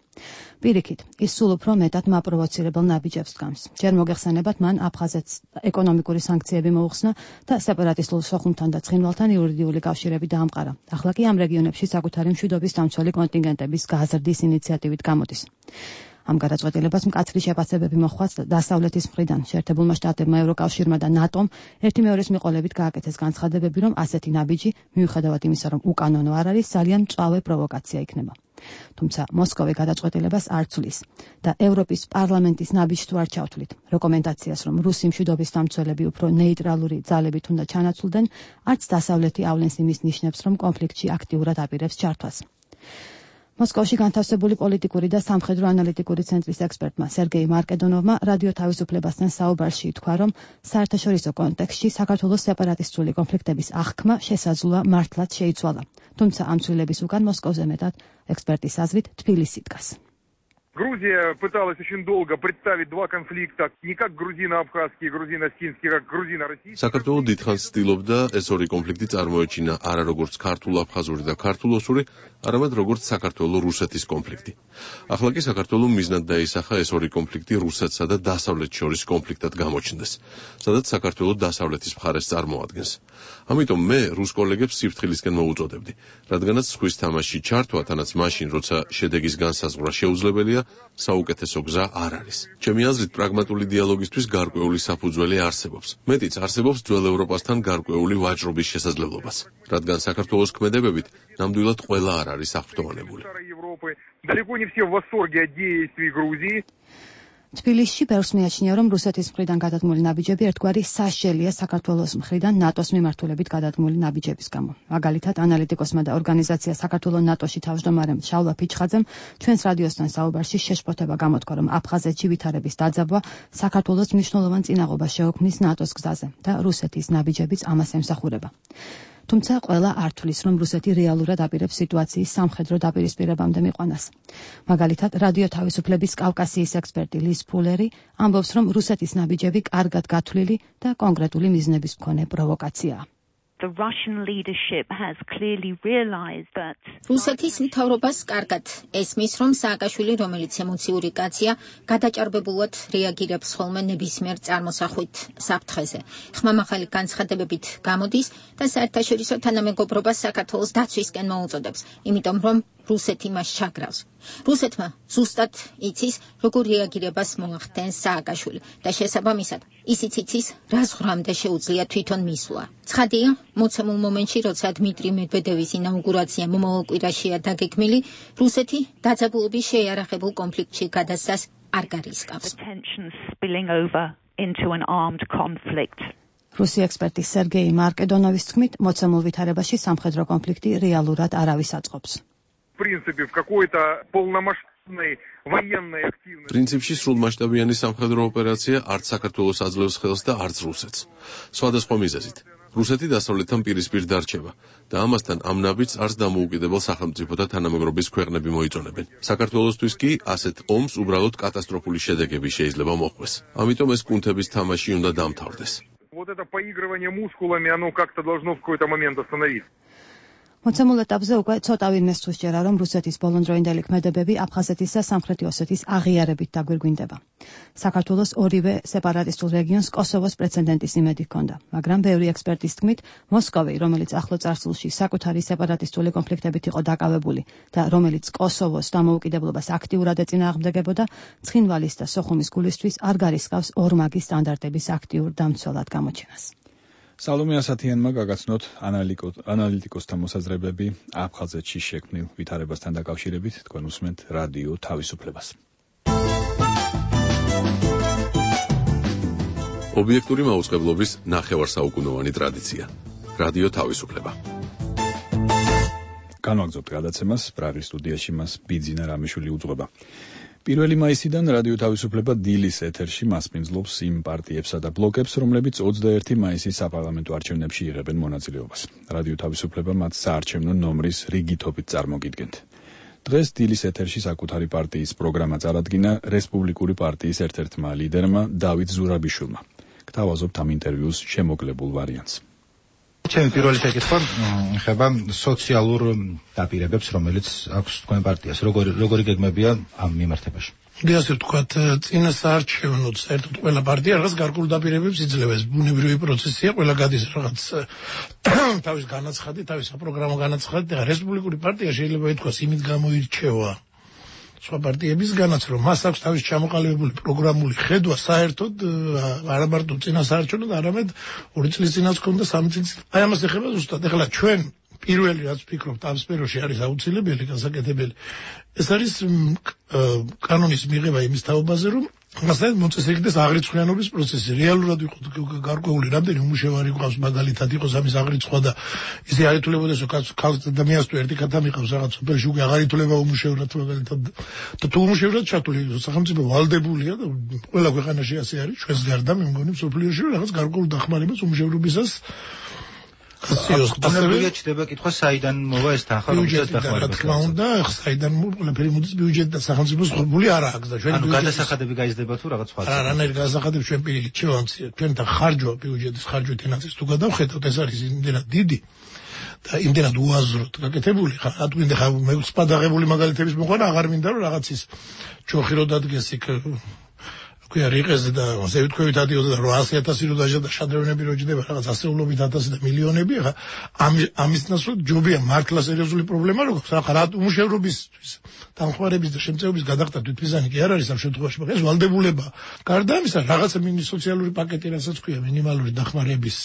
პირიქით, ის სულ უფრო მეტად მაპროვოცირებელ ნაბიჯებს დგამს. ჯერ მოგეხსენებათ, მან აფხაზეთს ეკონომიკური სანქციები მოუხსნა და სეპარატისტულ სოხუმთან და ცხინვალთან იურიდიული კავშირები დაამყარა. ახლა კი ამ რეგიონებში საკუთარი მშვიდობის დამცველი კონტინგენტების გაზრდის ინიციატივით გამოდის. ამ გადაწყვეტილებას მკაცრი შეფასებები მოჰყვა დასავლეთის მხრიდან. შეერთებულმა შტატებმა, ევროკავშირმა და ნატომ ერთი მეორის მიყოლებით გააკეთეს განცხადებები, რომ ასეთი ნაბიჯი, მიუხედავად იმისა, რომ უკანონო არ არის, ძალიან მწვავე პროვოკაცია იქნება. თუმცა მოსკოვი გადაწყვეტილებას არ ცვლის და ევროპის პარლამენტის ნაბიჯს თუ არ ჩავთვლით. რეკომენდაციას, რომ რუსი მშვიდობის დამცველები უფრო ნეიტრალური ძალებით უნდა ჩანაცვლდნენ, არც დასავლეთი ავლენს იმის ნიშნებს, რომ კონფლიქტში აქტიურად აპირებს ჩართვას. მოსკოვში განთავსებული პოლიტიკური და სამხედრო ანალიტიკური ცენტრის ექსპერტმა სერგეი მარკედონოვმა რადიო თავისუფლებასთან საუბარში ითქვა, რომ საერთაშორისო კონტექსტში საქართველოს სეპარატისტული კონფლიქტების აღქმა შესაძლოა მართლაც შეიცვალა. თუმცა ამ ცვლილების უკან მოსკოვზე მეტად ექსპერტის აზრით თბილისი დგას. Грузия пыталась очень долго представить два конфликта, не как грузино-абхазский, грузино-осетинский, как грузино-российский. საქართველოს დიდხანს ცდილობდა ეს ორი კონფლიქტი წარმოეჩინა არა როგორც ქართულ-აფხაზური და ქართულ-ოსური, არამედ როგორც საქართველოს-რუსეთის კონფლიქტი. ახლა კი საქართველოს მიზნად დაისახა ეს ორი კონფლიქტი რუსეთსა და დასავლეთს შორის კონფლიქტად გამოჩნდეს, სადაც საქართველოს დასავლეთის მხარეს წარმოადგენს. ამიტომ მე რუს კოლეგებს სიფრთხილისკენ მოუწოდებდი, რადგანაც სხვის თამაში ჩართვა, თანაც მაშინ, როცა შედეგის განსაზღვრა შეუძლებელია, საუკეთესო გზა არ არის. ჩემი აზრით, პრაგმატული დიალოგისთვის გარკვეული საფუძველი არსებობს. მეტიც არსებობს ძველ ევროპასთან გარკვეული ვაჭრობის შესაძლებლობაც, რადგან საქართველოს ქმედებებით ნამდვილად ყველა არ არის აღფრთოვანებული. Далеко не все в восторге от действий Грузии. თბილისში ბევრს მიაჩნია, რომ რუსეთის მხრიდან გადადგმული ნაბიჯები ერთგვარი სასჯელია საქართველოს მხრიდან ნატოს მიმართულებით გადადგმული ნაბიჯების გამო. მაგალითად, ანალიტიკოსმა და ორგანიზაცია საქართველოს ნატოში თავმჯდომარემ შალვა ფიჩხაძემ ჩვენს რადიოსთან საუბარში შეშფოთება გამოთქვა, რომ აფხაზეთში ვითარების დაძაბვა საქართველოს მნიშვნელოვან წინაღობას შეუქმნის ნატოს გზაზე და რუსეთის ნაბიჯებიც ამას ემსახურება. თუმცა ყველა არ თვლის, რომ რუსეთი რეალურად აპირებს სიტუაციის სამხედრო დაპირისპირებამდე მიყვანას. მაგალითად, რადიო თავისუფლების კავკასიის ექსპერტი ლის ფულერი ამბობს, რომ რუსეთის ნაბიჯები კარგად გათვლილი და კონკრეტული მიზნების მქონე პროვოკაციაა. The Russian leadership has clearly realized that რუსეთის მთავრობას კარგად ესმის, რომ სააკაშვილი, რომელიც ემოციური კაცია, გადაჭარბებულად რეაგირებს ხოლმე ნებისმიერ წარმოსახვით საფრთხეზე. ხმამაღალი განცხადებებით გამოდის და საერთაშორისო თანამეგობრობას საქართველოს დაცვისკენ მოუწოდებს, იმიტომ რომ რუსეთი მას ჩაგრავს. რუსეთმა ზუსტად იცის, როგორ რეაგირებას მოახდენს სააკაშვილი და შესაბამისად ისიც იცის, რა ზღვრამდე შეუძლია თვითონ მისვლა. ცხადია, მოცემულ მომენტში, როცა დმიტრი მედვედევის ინაუგურაცია მომავალ კვირაშია დაგეგმილი, რუსეთი დაძაბულობის შეიარაღებულ კონფლიქტში გადასცას არ გარისკავს. რუსი ექსპერტი სერგეი მარკედონოვის თქმით, მოცემულ ვითარებაში სამხედრო კონფლიქტი რეალურად არავის აწყობს. პრინციპში სრულმასშტაბიანი სამხედრო ოპერაცია არც საქართველოს აძლევს ხელს და არც რუსეთს. სხვადასხვა მიზეზით. რუსეთი დასავლეთთან პირისპირ დარჩება და ამასთან ამ ნაბიჯს არც დამოუკიდებელ სახელმწიფოთა თანამეგობრობის ქვეყნები მოიწონებენ. საქართველოსთვის კი ასეთ ომს უბრალოდ კატასტროფული შედეგები შეიძლება მოჰყვეს. ამიტომ ეს კუნთების თამაში უნდა დამთავრდეს. Вот это поигрывание мускулами, оно как-то должно в какой-то момент остановиться. მოცემულ ეტაპზე უკვე ცოტა ვინმე სჯერა, რომ რუსეთის ბოლონდროინდელი ქმედებები აფხაზეთის და სამხრეთი ოსეთის აღიარებით დაგვირგვინდება. საქართველოს ორივე სეპარატისტულ რეგიონს კოსოვოს პრეცედენტის იმედი ჰქონდა, მაგრამ ბევრი ექსპერტის თქმით, მოსკოვი, რომელიც ახლო წარსულში საკუთარი სეპარატისტული კონფლიქტებით იყო დაკავებული და რომელიც კოსოვოს დამოუკიდებლობას აქტიურად ეწინააღმდეგებოდა, ცხინვალის და სოხუმის გულისთვის არ გარისკავს ორმაგი სტანდარტების აქტიურ დამცველად გამოჩენას. სალომე ასათიანმა გაგაცნოთ ანალიტიკოსთა მოსაზრებები აფხაზეთში შექმნილ ვითარებასთან დაკავშირებით. თქვენ უსმენთ რადიო თავისუფლებას. ობიექტური მაუწყებლობის ნახევარსაუკუნოვანი ტრადიცია. რადიო თავისუფლება. განვაგრძობთ გადაცემას, პრაღის სტუდიაში მას ბიძინა რამიშვილი უძღვება. პირველი მაისიდან რადიო თავისუფლება დილის ეთერში მასპინძლობს იმ პარტიებსა და ბლოკებს, რომლებიც ოცდაერთი მაისის საპარლამენტო არჩევნებში იღებენ მონაწილეობას. რადიო თავისუფლება მათ საარჩევნო ნომრის რიგითობით წარმოგიდგენთ. დღეს დილის ეთერში საკუთარი პარტიის პროგრამა წარადგინა რესპუბლიკური პარტიის ერთ-ერთმა ლიდერმა დავით ზურაბიშვილმა. გთავაზობთ ამ ინტერვიუს შემოგლებულ ვარიანტს. ჩემი პირველი შეკითხვა ეხება სოციალურ დაპირებებს, რომელიც აქვს თქვენ პარტიას. როგორი როგორი გეგმებია ამ მიმართებაში? მე ასე ვთქვათ, წინა საარჩევნო საერთოდ ყველა პარტია რაღაც გარკვეულ დაპირებებს იძლევა. ეს ბუნებრივი პროცესია, ყველა გადის რაღაც თავის განაცხადი, თავის საპროგრამო განაცხადი და რესპუბლიკური პარტია შეიძლება ითქვას იმით გამოირჩევა სხვა პარტიებისგანაც, რომ მას აქვს თავის ჩამოყალიბებული პროგრამული ხედვა საერთოდ არა მარტო წინა საარჩევნოდ, არამედ ორი წლის წინაც ჰქონდა, სამი წლის. აი ამას ეხება ზუსტად. ეხლა ჩვენ პირველი რაც ვფიქრობთ ამ სფეროში არის აუცილებელი, გასაკეთებელი. ეს არის კანონის მიღება იმის თაობაზე, რომ მასთან მოწესრიგდეს აღრიცხვიანობის პროცესი. რეალურად იყო გარკვეული რამდენი უმუშევარი ყავს, მაგალითად იყოს ამის აღრიცხვა და ისე არ ითვლებოდეს, რომ ქალს ადამიანს თუ ერთი ქათა მიყავს რაღაც სოფელში, უკვე აღარ ითვლება უმუშევრად მაგალითად. და თუ უმუშევრად ჩათვლილი სახელმწიფო ვალდებულია და ყველა ქვეყანაში ასე არის, ჩვენს გარდა მე მგონი მსოფლიოში რაღაც გარკვეული დახმარებას უმუშევრობისას გასწიოს. ასევე ჩდება კითხვა საიდან მოვა ეს თანხა, რომელსაც დახმარება. რა თქმა უნდა, საიდან ყველაფერი მოდის ბიუჯეტ და სახელმწიფოს ღრუბული არ აქვს და ჩვენ ანუ გადასახადები გაიზრდება თუ რაღაც სხვა. არა, რანაირ გადასახადებს ჩვენ პირიქით შევამციეთ. ჩვენ და ხარჯვა ბიუჯეტის ხარჯვით ენაცის თუ გადავხედავთ, ეს არის იმდენად დიდი და იმდენად უაზროდ გაკეთებული. ხა რა თქვი ხა მე სპადაღებული მაგალითების მოყვანა აღარ მინდა რომ რაღაც ის ჩოხი რო დადგეს იქ კი არ იყეზე და ასე ვთქვით ადიოდა და რვაასი ათასი რო დაჟა და შადრევნები რო ჯდება რაღაც ასეულობით ათასი და მილიონები. ხა ამის ნაცვლად ჯობია მართლა სერიოზული პრობლემა როგორც ხა რა უმუშევრობისთვის დამხმარების და შემწეობის გადახდა თვითმიზანი კი არ არის ამ შემთხვევაში, მაგრამ ეს ვალდებულება. გარდა ამისა რაღაცა მინი სოციალური პაკეტი რასაც ქვია მინიმალური დახმარების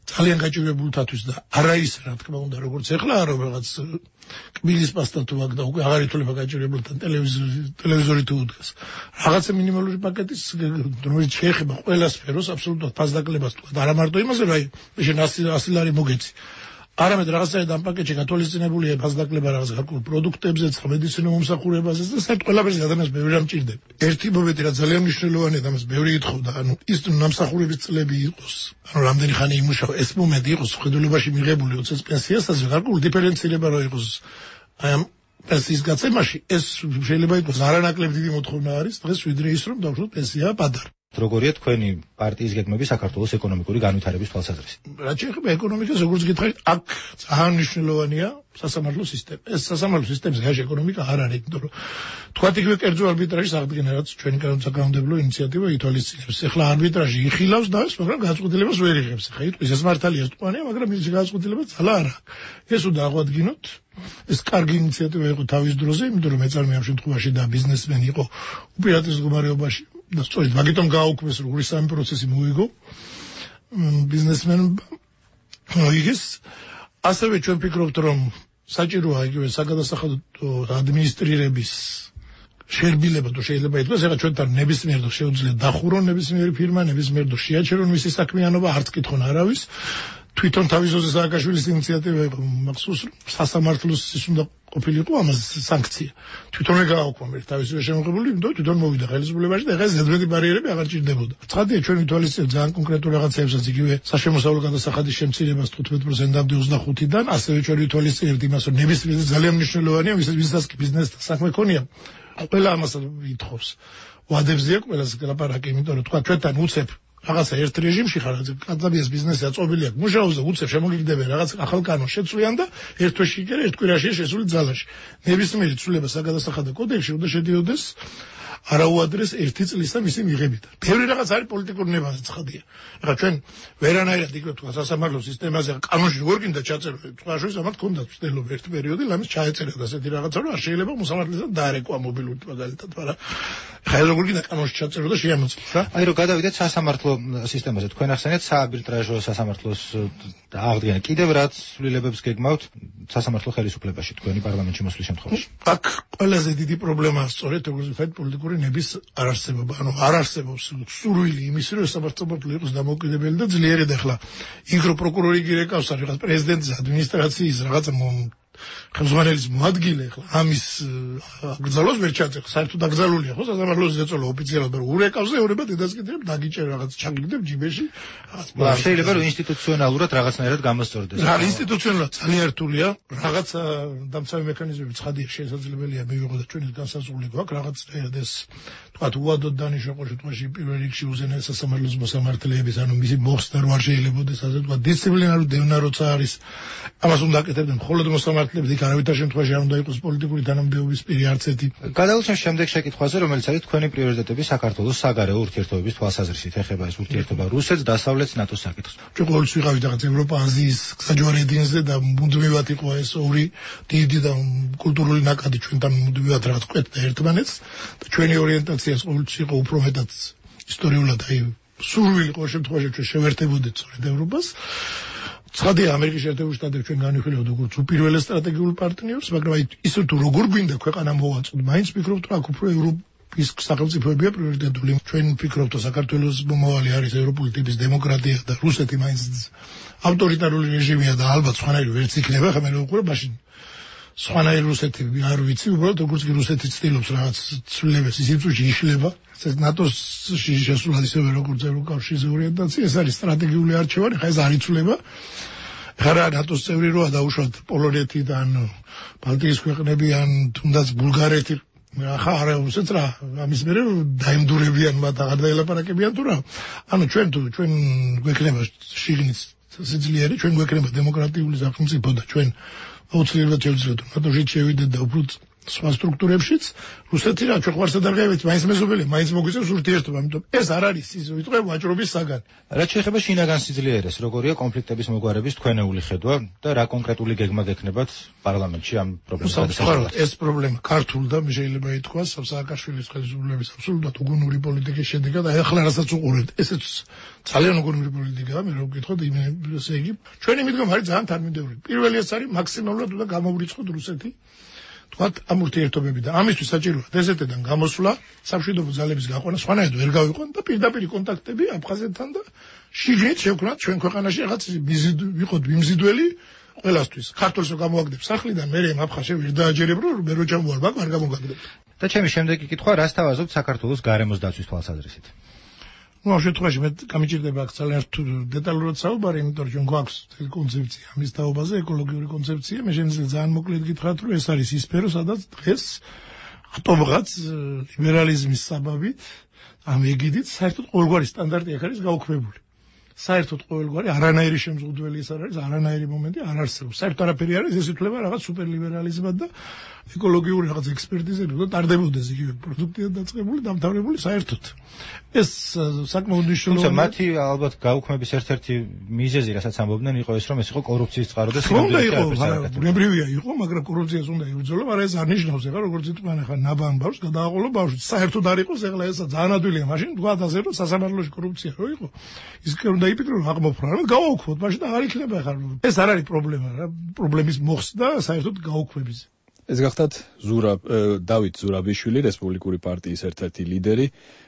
ძალიან გაჭირებულთათვის და არა ის რა თქმა უნდა როგორც ეხლა რომ რაღაც კბილის პასტა თუ აქ და უკვე აღარ ითვლება გაჭირებულთან ტელევიზორი ტელევიზორი თუ უდგას. რაღაცა მინიმალური პაკეტის რომელიც შეეხება ყველა სფეროს აბსოლუტურად ფასდაკლებას თუ არა მარტო იმაზე რომ აი შენ ასი ლარი მოგეცი. არამედ რაღაცაერთი ამ პაკეტში გათვალისწინებულია ფასდაკლება რაღაც გარკვეულ პროდუქტებზე, სამედიცინო მომსახურებაზე და საერთოდ ყველაფერს ადამიანს ბევრი რამ ჭირდება. ერთი მომენტი რა ძალიან მნიშვნელოვანია და მას ბევრი ითხოვდა, ანუ ის ნამსახურების წლები იყოს, ანუ რამდენი ხანი იმუშავა, ეს მომენტი იყოს ხედულობაში მიღებული ოცდაათი პენსიასაზე, გარკვეული დიფერენცირება რო იყოს აი ამ პენსიის გაცემაში, ეს შეიძლება იყოს არანაკლებ დიდი მოთხოვნა არის დღეს ვიდრე ის რომ დავუშვათ პენსია პადარ. როგორია თქვენი პარტიის გეგმები საქართველოს ეკონომიკური განვითარების თვალსაზრისით? რაც შეეხება ეკონომიკას, როგორც გითხარით, აქ ძალიან მნიშვნელოვანია სასამართლო სისტემა. ეს სასამართლო სისტემის გარეშე ეკონომიკა არ არის, იმიტომ რომ თქვათ იგივე კერძო არბიტრაჟის აღდგენა, რაც ჩვენი საკანონმდებლო ინიციატივა ითვალისწინებს. ეხლა არბიტრაჟი იხილავს და ეს, მაგრამ გადაწყვეტილებას ვერ იღებს. ხა იტყვის ეს მართალია სტუანია, მაგრამ ის გადაწყვეტილება ძალა არ აქვს. ეს უნდა აღვადგინოთ. ეს კარგი ინიციატივა იყო თავის დროზე, იმიტომ რომ მეწარმე ამ შემთხვევაში და ბიზნესმენი იყო უპირატეს მდგომარეობაში. და სწორედ მაგიტომ გააუქმეს რომ ორი სამი პროცესი მოიგო ბიზნესმენმა მოიგეს. ასევე ჩვენ ვფიქრობთ რომ საჭიროა იგივე საგადასახადო ადმინისტრირების შერბილება თუ შეიძლება ითქვას, ეხლა ჩვენთან ნებისმიერ დრო შეუძლია დახურონ ნებისმიერი ფირმა, ნებისმიერ დრო შეაჩერონ მისი საქმიანობა, არც კითხონ არავის. თვითონ თავისოზე სააკაშვილის ინიციატივა იყო მახსოვს სასამართლოს ის უნდა ყოფილიყო ამას სანქცია. თვითონე გააუქმა ერთ თავისივე შემოღებული, იმიტომ თვითონ მოვიდა ხელისუფლებაში და ეხლა ზედმეტი ბარიერები აღარ ჭირდებოდა. ცხადია ჩვენ ვითვალისწინებთ ძალიან კონკრეტულ რაღაცებსაც, იგივე საშემოსავლო გადასახადის შემცირებას თხუთმეტ პროცენტამდე ოცდახუთიდან, ასევე ჩვენ ვითვალისწინებთ იმას, რომ ნებისმიერ ძალიან მნიშვნელოვანია, ვისაც კი ბიზნესთან საქმე ქონია, ყველა ამას ითხოვს. ვადებზეა ყველას ლაპარაკი, იმიტომ რომ თქვა ჩვენთან უცებ რაღაცა ერთ რეჟიმში ხარ, კაცაბიას ბიზნესი აწობილი აქვს, მუშაობს და უცებ შემოგიგდებიან რაღაც ახალ კანონს შეცვლიან და ერთ თვეში კი ერთ კვირაში შესული ძალაში. ნებისმიერი ცვლილება საგადასახადო კოდექსში უნდა შედიოდეს არაუადრეს ერთი წლის და მისი მიღებიდან. ბევრი რაღაც არის პოლიტიკური ნებაზე ცხადია. ეხლა ჩვენ ვერანაირად იგივე თქვა სასამართლო სისტემაზე კანონში როგორ გინდა ჩაწერო, სხვა შორის ამათ ქონდა ცდელობა ერთ პერიოდი, ლამის ჩაეწერა და ასეთი რაღაცა რომ არ შეიძლება მოსამართლესაც დაარეკვა მობილური მაგალითად, მაგრამ ხა როგორ გინდა კანონში ჩაწერო და შეამოწმოს რა. აი რომ გადავიდეთ სასამართლო სისტემაზე, თქვენ ახსენეთ საარბიტრაჟო სასამართლოს აღდგენა. კიდევ რაც ცვლილებებს გეგმავთ სასამართლო ხელისუფლებაში თქვენი პარლამენტში მოსვლის შემთხვევაში? აქ ყველაზე დიდი პრობლემაა სწორედ როგორც ვთქვით პოლიტიკური ნების არარსებობა. ანუ არ არსებობს სურვილი იმის რომ სასამართლო იყოს დამოუკიდებელი და ძლიერი და ახლა იქ რო პროკურორი კი რეკავს არის რაღაც პრეზიდენტის ადმინისტრაციის რაღაც ხელმძღვანელის მოადგილე ახლა ამის აკრძალოს ვერ ჩაწერს. საერთოდ აკრძალულია ხო სასამართლოს ზეწოლა ოფიციალურად, მაგრამ ურეკავს და ეუბნება დედას კიდევ დაგიჭერ რაღაც ჩაგიგდებ ჯიბეში. შეიძლება რომ ინსტიტუციონალურად რაღაცნაირად გამოსწორდეს. რა ინსტიტუციონალურად ძალიან რთულია, რაღაც დამცავი მექანიზმები ცხადია შესაძლებელია მივიღო და ჩვენი განსაზღვრული გვაქვს რაღაცნაირად ეს თქვათ უადოდ დანიშნულ შემთხვევაში პირველ რიგში უზენაეს სასამართლოს მოსამართლეების ანუ მისი მოხსნა რო არ შეიძლებაოდეს ასე თქვათ დისციპლინარული დევნა როცა არის ამას უნდა აკეთებდნენ მხოლოდ მოსამართლეები, იქ არავითარ შემთხვევაში არ უნდა იყოს პოლიტიკური თანამდებობის პირი არც ერთი. გადავულჩემ შემდეგ შეკითხვაზე, რომელიც არის თქვენი პრიორიტეტები საქართველოს საგარეო ურთიერთობების თვალსაზრისით, ეხება ეს ურთიერთობა რუსეთს, დასავლეთს, ნატოს საკითხს. ჩვენ ყოველთვის ვიყავით რაღაც ევროპა, აზიის საჯვარი ედინზე და მუდმივად იყო ეს ორი დიდი და კულტურული ნაკადი ჩვენთან მუდმივად რაღაც ყვეთდა ერთმანეთს და ჩვენი ორიენტაციაც ყოველთვის იყო უფრო მეტად ისტორიულად, აი სურვილი ყოველ შემთხვევაში ჩვენ შევერთებოდეთ სწორედ ევროპას. ცხადია ამერიკის შეერთებული შტატები ჩვენ განვიხილავთ როგორც უპირველეს სტრატეგიულ პარტნიორს, მაგრამ აი ისე თუ როგორ გვინდა ქვეყანა მოვაწოდოთ, მაინც ვფიქრობთ რომ აქ უფრო ევროპის სახელმწიფოებია პრიორიტეტული. ჩვენ ვფიქრობთ რომ საქართველოს მომავალი არის ევროპული ტიპის დემოკრატია და რუსეთი მაინც ავტორიტარული რეჟიმია და ალბათ სხვანაირი ვერც იქნება, ხა მე ვუყურებ მაშინ სხვანაირი რუსეთი არ ვიცი, უბრალოდ როგორც კი რუსეთი ცდილობს რაღაც ცვლილებას ის იწუში იშლება. ნატოსში შესულად ისევე როგორც ევროკავშირის ორიენტაცია, ეს არის სტრატეგიული არჩევანი, ხა ეს არ იცვლება. ხარა ნატოს წევრი როა დაუშვათ პოლონეთი და ან ბალტიის ქვეყნები ან თუნდაც ბულგარეთი, ხა არა უსეც რა, ამის მერე დაემდურებიან მათ აღარ დაელაპარაკებიან თუ რა. ანუ ჩვენ თუ ჩვენ გვექნება შიგნით სიძლიერე, ჩვენ გვექნება დემოკრატიული სახელმწიფო და ჩვენ აუცილებლად შევძლებთ ნატოში შევიდეთ და უფრო სხვა სტრუქტურებშიც რუსეთი რა ჩვენ ხوارსა დარღევით მაინც მეზობელი მაინც მოგვიწევს ურთიერთობა, ამიტომ ეს არ არის ის ვიტყვე ვაჭრობის საგანი. რაც შეეხება შინაგან სიძლიერეს, როგორია კონფლიქტების მოგვარების თქვენეული ხედვა და რა კონკრეტული გეგმა გექნებათ პარლამენტში ამ პრობლემის გადასახადად? ეს პრობლემა ქართულ და შეიძლება ითქვას სააკაშვილის ხელისუფლების აბსოლუტურად უგუნური პოლიტიკის შედეგად, აი ახლა რასაც უყურებთ, ესეც ძალიან უგუნური პოლიტიკაა, მე რო ვკითხოთ, ესე იგი ჩვენი მიდგომა არის ძალიან თანმიმდევრული. პირველი ეს არის მაქსიმალურად უნდა გამოვრიცხოთ რუსეთი თქვათ ამ ურთიერთობები და ამისთვის საჭიროა დეზერტიდან გამოსვლა, სამშვიდობო ძალების გაყვანა, სხვანაირად ვერ გავიყვან და პირდაპირ კონტაქტები აფხაზეთთან და შიგნით შევქმნათ ჩვენ ქვეყანაში რაღაც ვიყოთ მიმზიდველი ყველასთვის. ქართულს რო გამოაგდებ სახლიდან, მე ამ აფხაზში ვერ დააჯერებ, რომ მე რო ჩამოვარ ბაკ არ გამოგაგდებ. და ჩემი შემდეგი კითხვა, რას თავაზობთ საქართველოს გარემოს დაცვის თვალსაზრისით? ну ამ შემთხვევაში მე გამიჭირდება აქ ძალიან დეტალურად საუბარი, იმიტომ რომ ჩვენ გვაქვს თელი კონცეფცია ამის თაობაზე, ეკოლოგიური კონცეფცია. მე შემიძლია ძალიან მოკლედ გითხრათ, რომ ეს არის ის სფერო, სადაც დღეს ხტომღაც ლიბერალიზმის საბაბით ამ ეგიდით საერთოდ ყოველგვარი სტანდარტი აქ არის გაუქმებული. საერთოდ ყოველგვარი არანაირი შემზღუდველი ის არ არის, არანაირი მომენტი არ არსებობს. საერთოდ არაფერი არის, ეს ითვლება რაღაც სუპერლიბერალიზმად და ეკოლოგიური რაღაც ექსპერტიზები და ტარდებოდეს იგივე პროდუქტია დაწყებული, დამთავრებული საერთოდ. ეს საკმაოდ მნიშვნელოვანია. თუმცა მათი ალბათ გაუქმების ერთ-ერთი მიზეზი, რასაც ამბობდნენ, იყო ეს, რომ ეს იყო კორუფციის წყარო და სინამდვილეში არ ბუნებრივია იყო, მაგრამ კორუფციას უნდა იბრძოლო, მაგრამ ეს არ ნიშნავს ახლა როგორც იტყვიან ახლა ნაბამ ბავშვს გადააყოლო ბავშვი. საერთოდ არ იყოს, ახლა ესა ძალიან ადვილია, მაშინ თქვა ასე რომ სასამართლოში კორუფცია რო იყო. ის კი უნდა იფიქრო რომ აღმოფხვრა, რომ გავაუქმოთ, მაშინ არ იქნება ახლა. ეს არ არის პრობლემა რა, პრობლემის მოხსნა საერთოდ გაუქმების. ეს გახდათ ზურაბ დავით ზურაბიშვილი, რესპუბლიკური პარტიის ერთ-ერთი ლიდერი,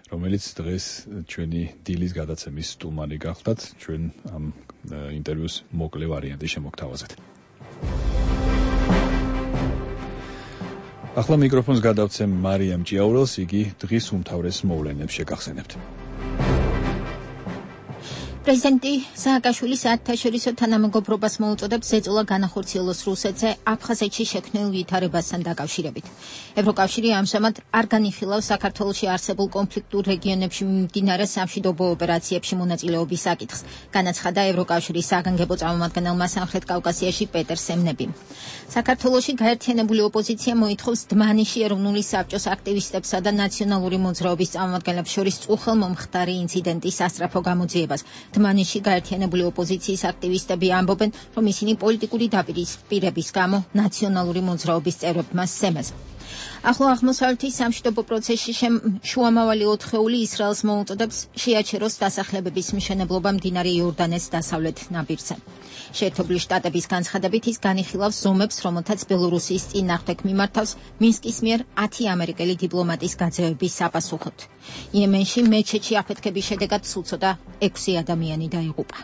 რომელიც დღეს ჩვენი დილის გადაცემის სტუმარი გახდათ. ჩვენ ამ ინტერვიუს მოკლე ვარიანტი შემოგთავაზეთ. ახლა მიკროფონს გადავცემ მარიამ ჭიაურელს, იგი დღის უმთავრეს მოვლენებს შეგახსენებთ. პრეზიდენტი სააკაშვილი საერთაშორისო თანამეგობრობას მოუწოდებს ზეწოლა განახორციელოს რუსეთზე აფხაზეთში შექმნილ ვითარებასთან დაკავშირებით. ევროკავშირი ამჟამად არ განიხილავს საქართველოში არსებულ კონფლიქტურ რეგიონებში მიმდინარე სამშვიდობო ოპერაციებში მონაწილეობის საკითხს, განაცხადა ევროკავშირის საგანგებო წარმომადგენელმა სამხრეთ კავკასიაში პეტერ სემნებიმ. საქართველოში გაერთიანებული ოპოზიცია მოითხოვს დმანიში ეროვნული საბჭოს აქტივისტებსა და ნაციონალური მოძრაობის წარმომადგენლებს შორის წუხელმომხდარი ინციდენტის სასწრაფო გამოძიებას. დმანიში გაერთიანებული ოპოზიციის აქტივისტები ამბობენ, რომ ისინი პოლიტიკური დაპირისპირების გამო ნაციონალური მოძრაობის წევრებმა სცემეს. ახლო აღმოსავლეთის სამშვიდობო პროცესში შუამავალი ოთხეული ისრაელს მოუწოდებს შეაჩეროს დასახლებების მშენებლობა მდინარე იორდანეს დასავლეთ ნაპირზე. შეერთებული შტატების განცხადებით ის განიხილავს ზომებს, რომელთაც ბელორუსიის წინააღმდეგ მიმართავს მინსკის მიერ ათი ამერიკელი დიპლომატის გაძევების საპასუხოდ. იემენში მეჩეთში აფეთქების შედეგად სულცოდა ექვსი ადამიანი დაიღუპა.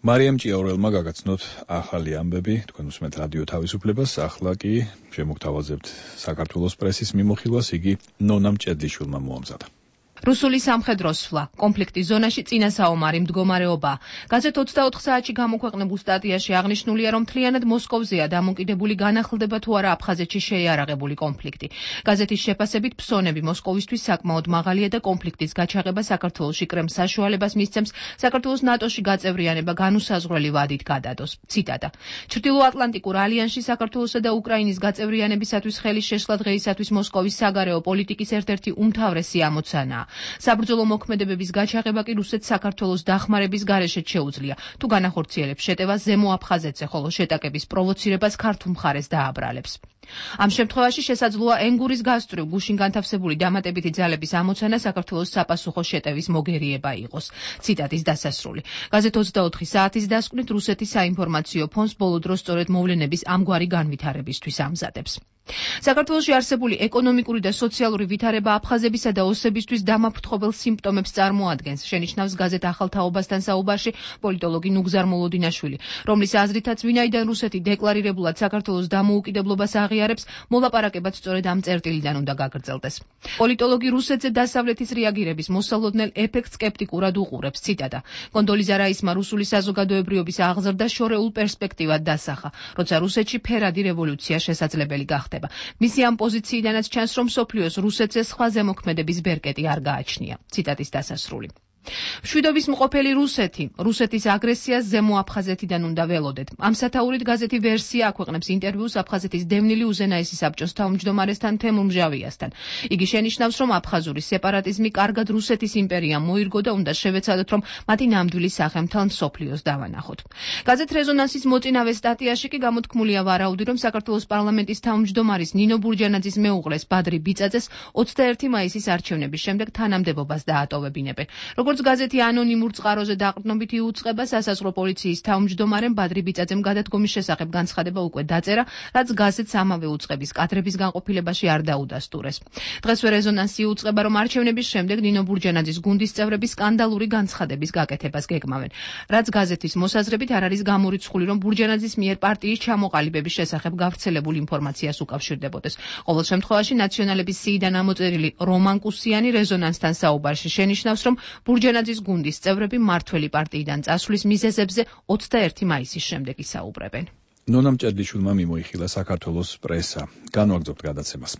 მარიამ ჭიაურელმა გაგაცნოთ ახალი ამბები თქვენ უსმენთ რადიო თავისუფლებას. ახლა კი შემოგთავაზებთ საქართველოს პრესის მიმოხილვას, იგი ნონა მჭედლიშვილმა მოამზადა. რუსული სამხედრო სვლა, კონფლიქტის ზონაში წინასაომარი მდგომარეობა. გაზეთ ოცდაოთხ საათში გამოქვეყნებულ სტატიაში აღნიშნულია, რომ მთლიანად მოსკოვზეა დამოკიდებული განახლდება თუ არა აფხაზეთში შეიარაღებული კონფლიქტი. გაზეთის შეფასებით ფსონები მოსკოვისთვის საკმაოდ მაღალია და კონფლიქტის გაჩაღება საქართველოში კრემლს საშუალებას მისცემს საქართველოს ნატოში გაწევრიანება განუსაზღვრელი ვადით გადადოს. ციტატა. ჩრდილოატლანტიკურ ალიანსში საქართველოსა და უკრაინის გაწევრიანებისათვის ხელის შეშლა დღეისათვის მოსკოვის საგარეო პოლიტიკის ერთ-ერთი უმთავრესი ამოცანაა. საბრძოლო მოქმედებების გაჩაღება კი რუსეთს საქართველოს დახმარების გარეშე შეუძლია, თუ განახორციელებს შეტევას ზემო აფხაზეთზე, ხოლო შეტაკების პროვოცირებას ქართულ მხარეს დააბრალებს. ამ შემთხვევაში შესაძლოა ენგურის გასწვრივ გუშინ განთავსებული დამატებითი ძალების ამოცანა საქართველოს საპასუხო შეტევის მოგერიება იყოს. ციტატის დასასრული. გაზეთ ოცდაოთხი საათის დასკვნით რუსეთის საინფორმაციო ფონდს ბოლო დროს სწორედ მოვლენების ამგვარი განვითარებისთვის ამზადებს. საქართველოში არსებული ეკონომიკური და სოციალური ვითარება აფხაზებისა და ოსებისთვის დამაფრთხობელ სიმპტომებს წარმოადგენს, შენიშნავს გაზეთ ახალთაობასთან საუბარში პოლიტოლოგი ნუგზარ მოლოდინაშვილი, რომლის აზრითაც ვინაიდან რუსეთი დეკლარირებულად საქართველოს დამოუკიდებლობას აღიარებს, მოლაპარაკებაც სწორედ ამ წერტილიდან უნდა გაგრძელდეს. პოლიტოლოგი რუსეთზე დასავლეთის რეაგირების მოსალოდნელ ეფექტს სკეპტიკურად უყურებს. ციტატა. კონდოლიზა რაისმა რუსული საზოგადოებრიობის აღზრდა შორეულ პერსპექტივად დასახა, როცა რუსეთში ფერადი რევოლუცია შესაძლებელი გახდა. მისი ამ პოზიციიდანაც ჩანს, რომ მსოფლიოს რუსეთზე სხვა ზემოქმედების ბერკეტი არ გააჩნია. ციტატის დასასრული. მშვიდობის მყოფელი რუსეთი, რუსეთის აგრესიას ზემო აფხაზეთიდან უნდა ველოდეთ. ამ სათაურით გაზეთი ვერსია აქვეყნებს ინტერვიუს აფხაზეთის დევნილი უზენაესი საბჭოს თავმჯდომარესთან თემურ მჟავიასთან. იგი შენიშნავს, რომ აფხაზური სეპარატიზმი კარგად რუსეთის იმპერიამ მოირგო და უნდა შევეცადოთ, რომ მათი ნამდვილი სახე მთელ მსოფლიოს დავანახოთ. გაზეთ რეზონანსის მოწინავე სტატიაში კი გამოთქმულია ვარაუდი, რომ საქართველოს პარლამენტის თავმჯდომარის ნინო ბურჯანაძის მეუღლეს ბადრი ბიწაძეს ოცდაერთი მაისის არჩევნების შემდეგ თანამდებობას დაატოვებინებენ. როგორც გაზეთი ანონიმურ წყაროზე დაყრდნობით იუწყება, სასაზღვრო პოლიციის თავმჯდომარემ ბადრი ბიწაძემ გადადგომის შესახებ განცხადება უკვე დაწერა, რაც გაზეთს ამავე უწყების კადრების განყოფილებაში არ დაუდასტურეს. დღესვე რეზონანსი იუწყება, რომ არჩევნების შემდეგ ნინო ბურჯანაძის გუნდის წევრები სკანდალური განცხადების გაკეთებას გეგმავენ, რაც გაზეთის მოსაზრებით არ არის გამორიცხული, რომ ბურჯანაძის მიერ პარტიის ჩამოყალიბების შესახებ გავრცელებულ ინფორმაციას უკავშირდებოდეს. ყოველ შემთხვევაში ნაციონალების სიიდან ამოწერილი რომან კუსიანი რეზონანსთან საუბარში შენიშნავს, რომ ბურჯანაძის გუნდის წევრები მართველი პარტიიდან წასვლის მიზეზებზე ოცდაერთი მაისის შემდეგ ისაუბრებენ. ნონა მჭედლიშვილმა მიმოიხილა საქართველოს პრესა. განვაგრძობთ გადაცემას.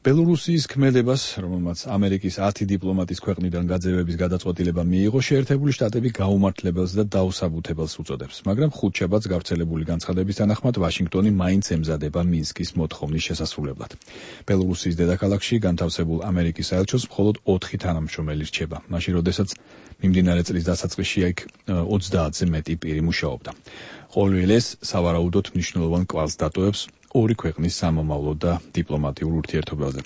ბელორუსიის ქმედებას, რომელმაც ამერიკის ათი დიპლომატის ქვეყნიდან გაძევების გადაწყვეტილება მიიღო, შეერთებული შტატები გაუმართლებელს და დაუსაბუთებელს უწოდებს, მაგრამ ხუთშაბათს გავრცელებული განცხადების თანახმად ვაშინგტონი მაინც ემზადება მინსკის მოთხოვნის შესასრულებლად. ბელორუსიის დედაქალაქში განთავსებულ ამერიკის საელჩოს მხოლოდ ოთხი თანამშრომელი რჩება, მაშინ როდესაც მიმდინარე წლის დასაწყისში აქ ოცდაათზე მეტი პირი მუშაობდა. ყოველ ეს სავარაუდოდ მნიშვნელოვან კვალს დატოვებს ორი ქვეყნის სამომავლო და დიპლომატიურ ურთიერთობებზე.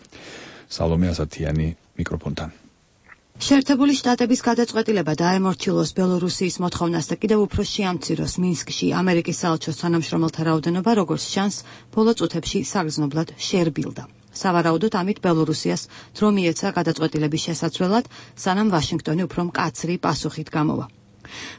სალომე ასათიანი მიკროფონთან. შეერთებული შტატების გადაწყვეტილება დაემორჩილოს ბელორუსიის მოთხოვნას და კიდევ უფრო შეამციროს მინსკში ამერიკის საელჩოს თანამშრომელთა რაოდენობა, როგორც ჩანს, ბოლო წუთებში საგრძნობლად შერბილდა. სავარაუდოდ ამით ბელორუსიას დრო მიეცა გადაწყვეტილების შესაცვლელად, სანამ ვაშინგტონი უფრო მკაცრი პასუხით გამოვა.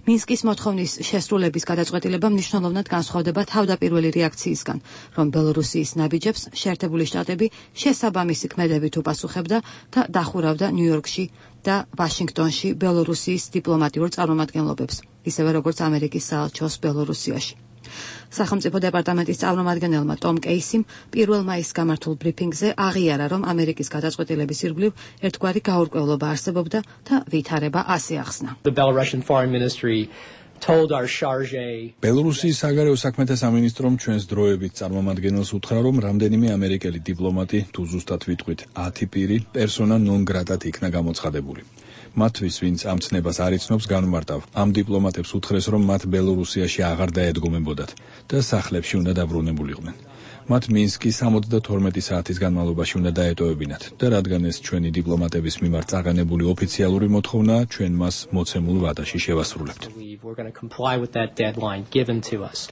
მინსკის მოთხოვნის შესრულების გადაწყვეტილება მნიშვნელოვნად განსხვავდება თავდაპირველი რეაქციისგან, რომ ბელორუსიის ნაბიჯებს შეერთებული შტატები შესაბამისი ქმედებით უპასუხებდა და დახურავდა ნიუ-იორკში და ვაშინგტონში ბელორუსიის დიპლომატიურ წარმომადგენლობებს, ისევე როგორც ამერიკის საელჩოს ბელორუსიაში. სახელმწიფო დეპარტამენტის წარმომადგენელმა ტომ კეისიმ პირველ მაისს გამართულ ბრიფინგზე აღიარა, რომ ამერიკის გადაწყვეტილების ირგვლივ ერთგვარი გაურკვევლობა არსებობდა და ვითარება ასე ახსნა. ბელორუსიის საგარეო საქმეთა სამინისტრომ ჩვენს დროებით წარმომადგენელს უთხრა, რომ რამდენიმე ამერიკელი დიპლომატი, თუ ზუსტად ვიტყვით ათი პირი, პერსონა ნონ გრატად იქნა გამოცხადებული. მათთვის, ვინც ამ ცნებას არ იცნობს, განმარტავ, ამ დიპლომატებს უთხრეს, რომ მათ ბელორუსიაში აღარ დაედგომებოდათ და სახლებში უნდა დაბრუნებულიყვნენ. მათ მინსკი სამოცდათორმეტი საათის განმავლობაში უნდა დაეტოვებინათ და რადგან ეს ჩვენი დიპლომატების მიმართ წაღენებული ოფიციალური მოთხოვნა, ჩვენ მას მოცემულ ვადაში შევასრულებთ.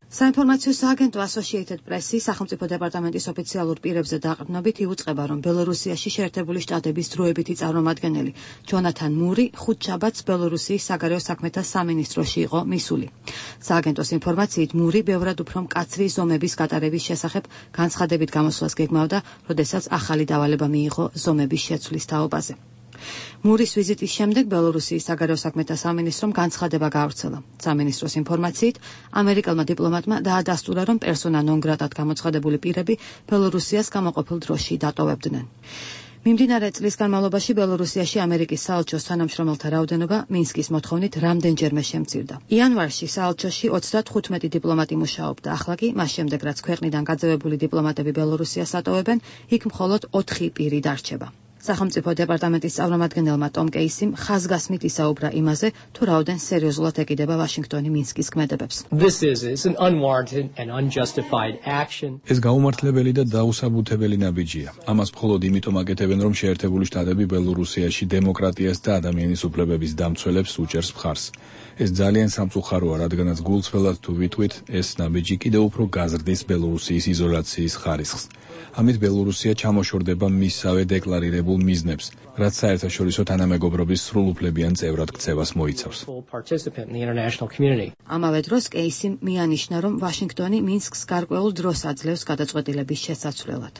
საინფორმაციო სააგენტო Associated Press-ი სახელმწიფო დეპარტამენტის ოფიციალურ პირებზე დაყრდნობით იუწყება, რომ ბელორუსიაში შეერთებული შტატების დროებითი წარმომადგენელი ჯონათან მური ხუთშაბათს ბელორუსიის საგარეო საქმეთა სამინისტროში იყო მისული. სააგენტოს ინფორმაციით მური ბევრად უფრო მკაცრი ზომების გატარების შესახებ განცხადებით გამოსვლას გეგმავდა, როდესაც ახალი დავალება მიიღო ზომების შეცვლის თაობაზე. მურის ვიზიტის შემდეგ ბელორუსიის საგარეო საქმეთა სამინისტრომ განცხადება გაავრცელა. სამინისტროს ინფორმაციით, ამერიკელმა დიპლომატმა დაადასტურა, რომ პერსონა ნონ გრატად გამოცხადებული პირები ბელორუსიას გამოყოფილ დროში დატოვებდნენ. მიმდინარე წლის განმავლობაში ბელორუსიაში ამერიკის საელჩოს თანამშრომელთა რაოდენობა მინსკის მოთხოვნით რამდენჯერმე შემცირდა. იანვარში საელჩოში ოცდათხუთმეტი დიპლომატი მუშაობდა, ახლა კი მას შემდეგ, რაც ქვეყნიდან გაძევებული დიპლომატები ბელორუსიას ატოვებენ, იქ მხოლოდ ოთხი პირი დარჩება. სახელმწიფო დეპარტამენტის წარმომადგენელმა ტომ კეისიმ ხაზგასმით ისაუბრა იმაზე, თუ რაოდენ სერიოზულად ეკიდება ვაშინგტონი მინსკის ქმედებებს. ეს გაუმართლებელი და დაუსაბუთებელი ნაბიჯია. ამას მხოლოდ იმიტომ აკეთებენ, რომ შეერთებული შტატები ბელორუსიაში დემოკრატიას და ადამიანის უფლებების დამცველებს უჭერს მხარს. ეს ძალიან სამწუხაროა, რადგანაც გულწრფელად თუ ვიტყვით, ეს ნაბიჯი კიდევ უფრო გაზრდის ბელორუსიის იზოლაციის ხარისხს. ამით ბელორუსია ჩამოშორდება მისსავე დეკლარირებულ მიზნებს, რაც საერთაშორისო თანამეგობრობის სრულუფლებიან წევრად ქცევას მოიცავს. ამავე დროს კეისიმ მიანიშნა, რომ ვაშინგტონი მინსკს გარკვეულ დროს აძლევს გადაწყვეტილების შესაცვლელად.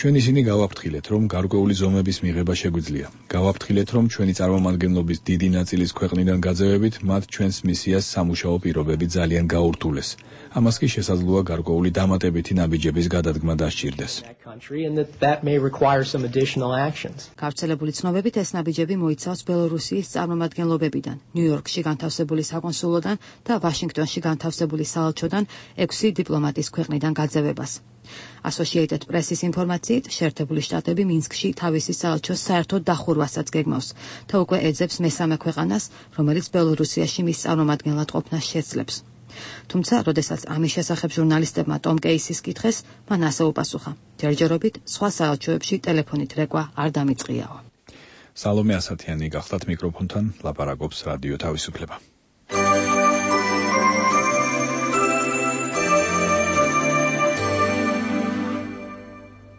ჩვენ ისინი გავაფრთხილეთ, რომ გარკვეული ზომების მიღება შეგვიძლია. გავაფრთხილეთ, რომ ჩვენი წარმომადგენლობის დიდი ნაწილის ქვეყნიდან გაძევებით, მათ ჩვენს მისიას სამუშაო პირობები ძალიან გაურთულეს. ამას კი შესაძლოა გარკვეული დამატებითი ნაბიჯების გადადგმა დასჭირდეს. გავრცელებული ცნობებით ეს ნაბიჯები მოიცავს ბელორუსიის წარმომადგენლობებიდან, ნიუ-იორკში განთავსებული საკონსულოდან და ვაშინგტონში განთავსებული საელჩოდან ექვსი დიპლომატის ქვეყნიდან გაძევებას. Associated Press-ის ინფორმაციით, შეერთებული შტატები მინსკში თავისი საელჩოს საერთოდ დახურვასაც გეგმავს და უკვე ეძებს მესამე ქვეყანას, რომელიც ბელორუსიაში მის წარმომადგენლად ყოფნას შეძლებს. თუმცა, როდესაც ამის შესახებ ჟურნალისტებმა ტომ კეისის კითხეს, მან ასე უპასუხა: ჯერჯერობით სხვა საელჩოებში ტელეფონით რეკვა არ დამიწყიაო. სალომე ასათიანი გახლავთ მიკროფონთან, ლაპარაკობს რადიო თავისუფლება.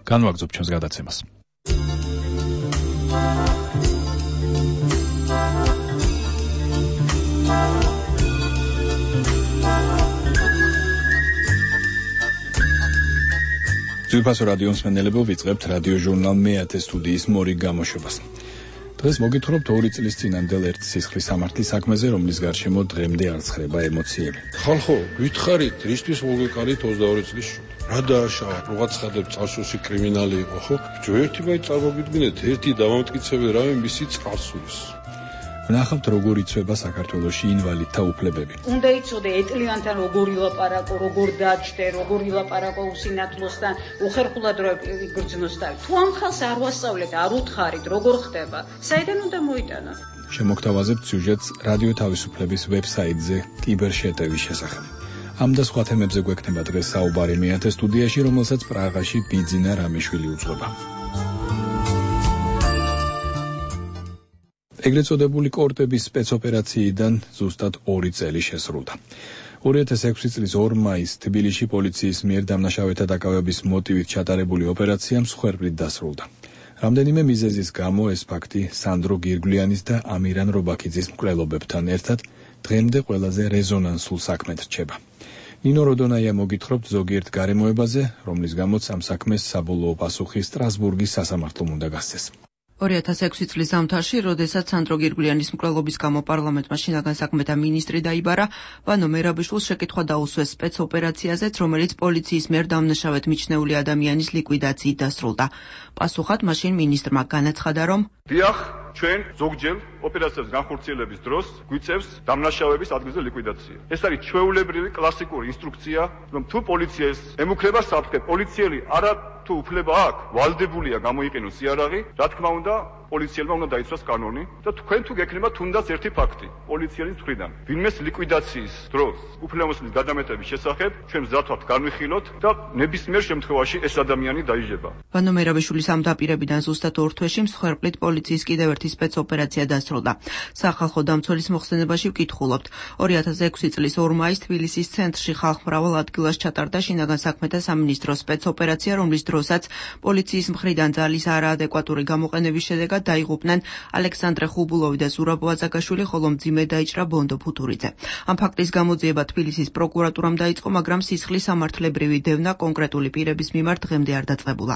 განვაგრძობ ჩვენს გადაცემას. ძვირფასო რადიო მსმენელებო, ვიწყებთ რადიო ჟურნალ მეათე სტუდიის მორიგ გამოშვებას. დღეს მოგითხრობთ ორი წლის წინანდელ ერთ სისხლის სამართლის საქმეზე, რომლის გარშემო დღემდე არ ცხრება ემოციები. ხალხო, ვითხარით, რისთვის მოგეკარით ოცდაორი წლის შვილს? რა დააშავა, რაღაც ხადებ წარსულში კრიმინალი იყო, ხო? ერთი ბაი წარმოგიდგინეთ, ერთი დამამტკიცებელი რამე მისი წარსულის. ვნახავთ, როგორ იცვება საქართველოში ინვალიდთა უფლებები. უნდა იცოდე ეტლიანთან როგორ ილაპარაკო, როგორ დაჭდე, როგორ ილაპარაკო უსინათლოსთან, უხერხულად რო იგრძნოს თავი. თუ ამ ხალხს არ ვასწავლეთ, არ უთხარით, როგორ ხდება? საიდან უნდა მოიტანა? შემოგთავაზებთ სიუჟეტს რადიო თავისუფლების ვებსაიტზე კიბერშეტევის შესახებ. ამ და სხვა თემებზე გვექნება დღეს საუბარი მეათე სტუდიაში, რომელსაც პრაღაში ბიძინა რამიშვილი უძღვება. ეგრეთ წოდებული კორტების სპეცოპერაციიდან ზუსტად ორი წელი შესრულდა. ორი ათას ექვსი წლის ორ მაისს თბილისში პოლიციის მიერ დამნაშავეთა დაკავების მოტივით ჩატარებული ოპერაცია მსხვერპლით დასრულდა. რამდენიმე მიზეზის გამო ეს ფაქტი სანდრო გირგვლიანის და ამირან რობაქიძის მკვლელობებთან ერთად დღემდე ყველაზე რეზონანსულ საქმედ რჩება. ნინო როდონაია მოგითხრობთ ზოგიერთ გარემოებაზე, რომლის გამოც ამ საქმეს საბოლოო პასუხი სტრასბურგის სასამართლომ უნდა გასცეს. ორი ათას ექვსი წლის ზამთარში, როდესაც სანდრო გირგვლიანის მკვლელობის გამო პარლამენტმა შინაგან საქმეთა მინისტრი დაიბარა, ვანო მერაბიშვილს შეკითხვა დაუსვეს სპეცოპერაციაზეც, რომელიც პოლიციის მიერ დამნაშავედ მიჩნეული ადამიანის ლიკვიდაციით დასრულდა. პასუხად მაშინ მინისტრმა განაცხადა, რომ დიახ, ჩვენ ზოგჯერ ოპერაციას განხორციელების დროს გვიწევს დამნაშავების ადგილზე ლიკვიდაცია. ეს არის ჩვეულებრივი კლასიკური ინსტრუქცია, რომ თუ პოლიციას ემუქრება საფრთხე, პოლიციელი არა თუ უფლება აქვს, ვალდებულია გამოიყენოს იარაღი, რა თქმა უნდა, პოლიციელმა უნდა დაიცვას კანონი და თქვენ თუ გექნება თუნდაც ერთი ფაქტი პოლიციის მხრიდან ვინმეს ლიკვიდაციის დროს უფლებამოსილის გადამეტების შესახებ ჩვენ მზად ვართ განვიხილოთ და ნებისმიერ შემთხვევაში ეს ადამიანი დაიჯება. ვანო მერაბიშვილის ამ დაპირებიდან ზუსტად ორ თვეში მსხვერპლით პოლიციის კიდევ ერთი სპეცოპერაცია დასრულდა. სახალხო დამცველის მოხსენებაში ვკითხულობთ. ორი ათას ექვსი წლის ორ მაისს თბილისის ცენტრში ხალხმრავალ ადგილას ჩატარდა შინაგან საქმეთა სამინისტროს სპეცოპერაცია, რომლის დროსაც პოლიციის მხრიდან ძალის არაადეკვატური გამოყენების შედეგად დაიღუპნენ ალექსანდრე ხუბულოვი და ზურაბ ვაზაგაშვილი, ხოლო მძიმე დაიჭრა ბონდო ფუტურიძე. ამ ფაქტის გამოძიება თბილისის პროკურატურამ დაიწყო, მაგრამ სისხლის სამართლებრივი დევნა კონკრეტული პირების მიმართ დღემდე არ დაწყებულა.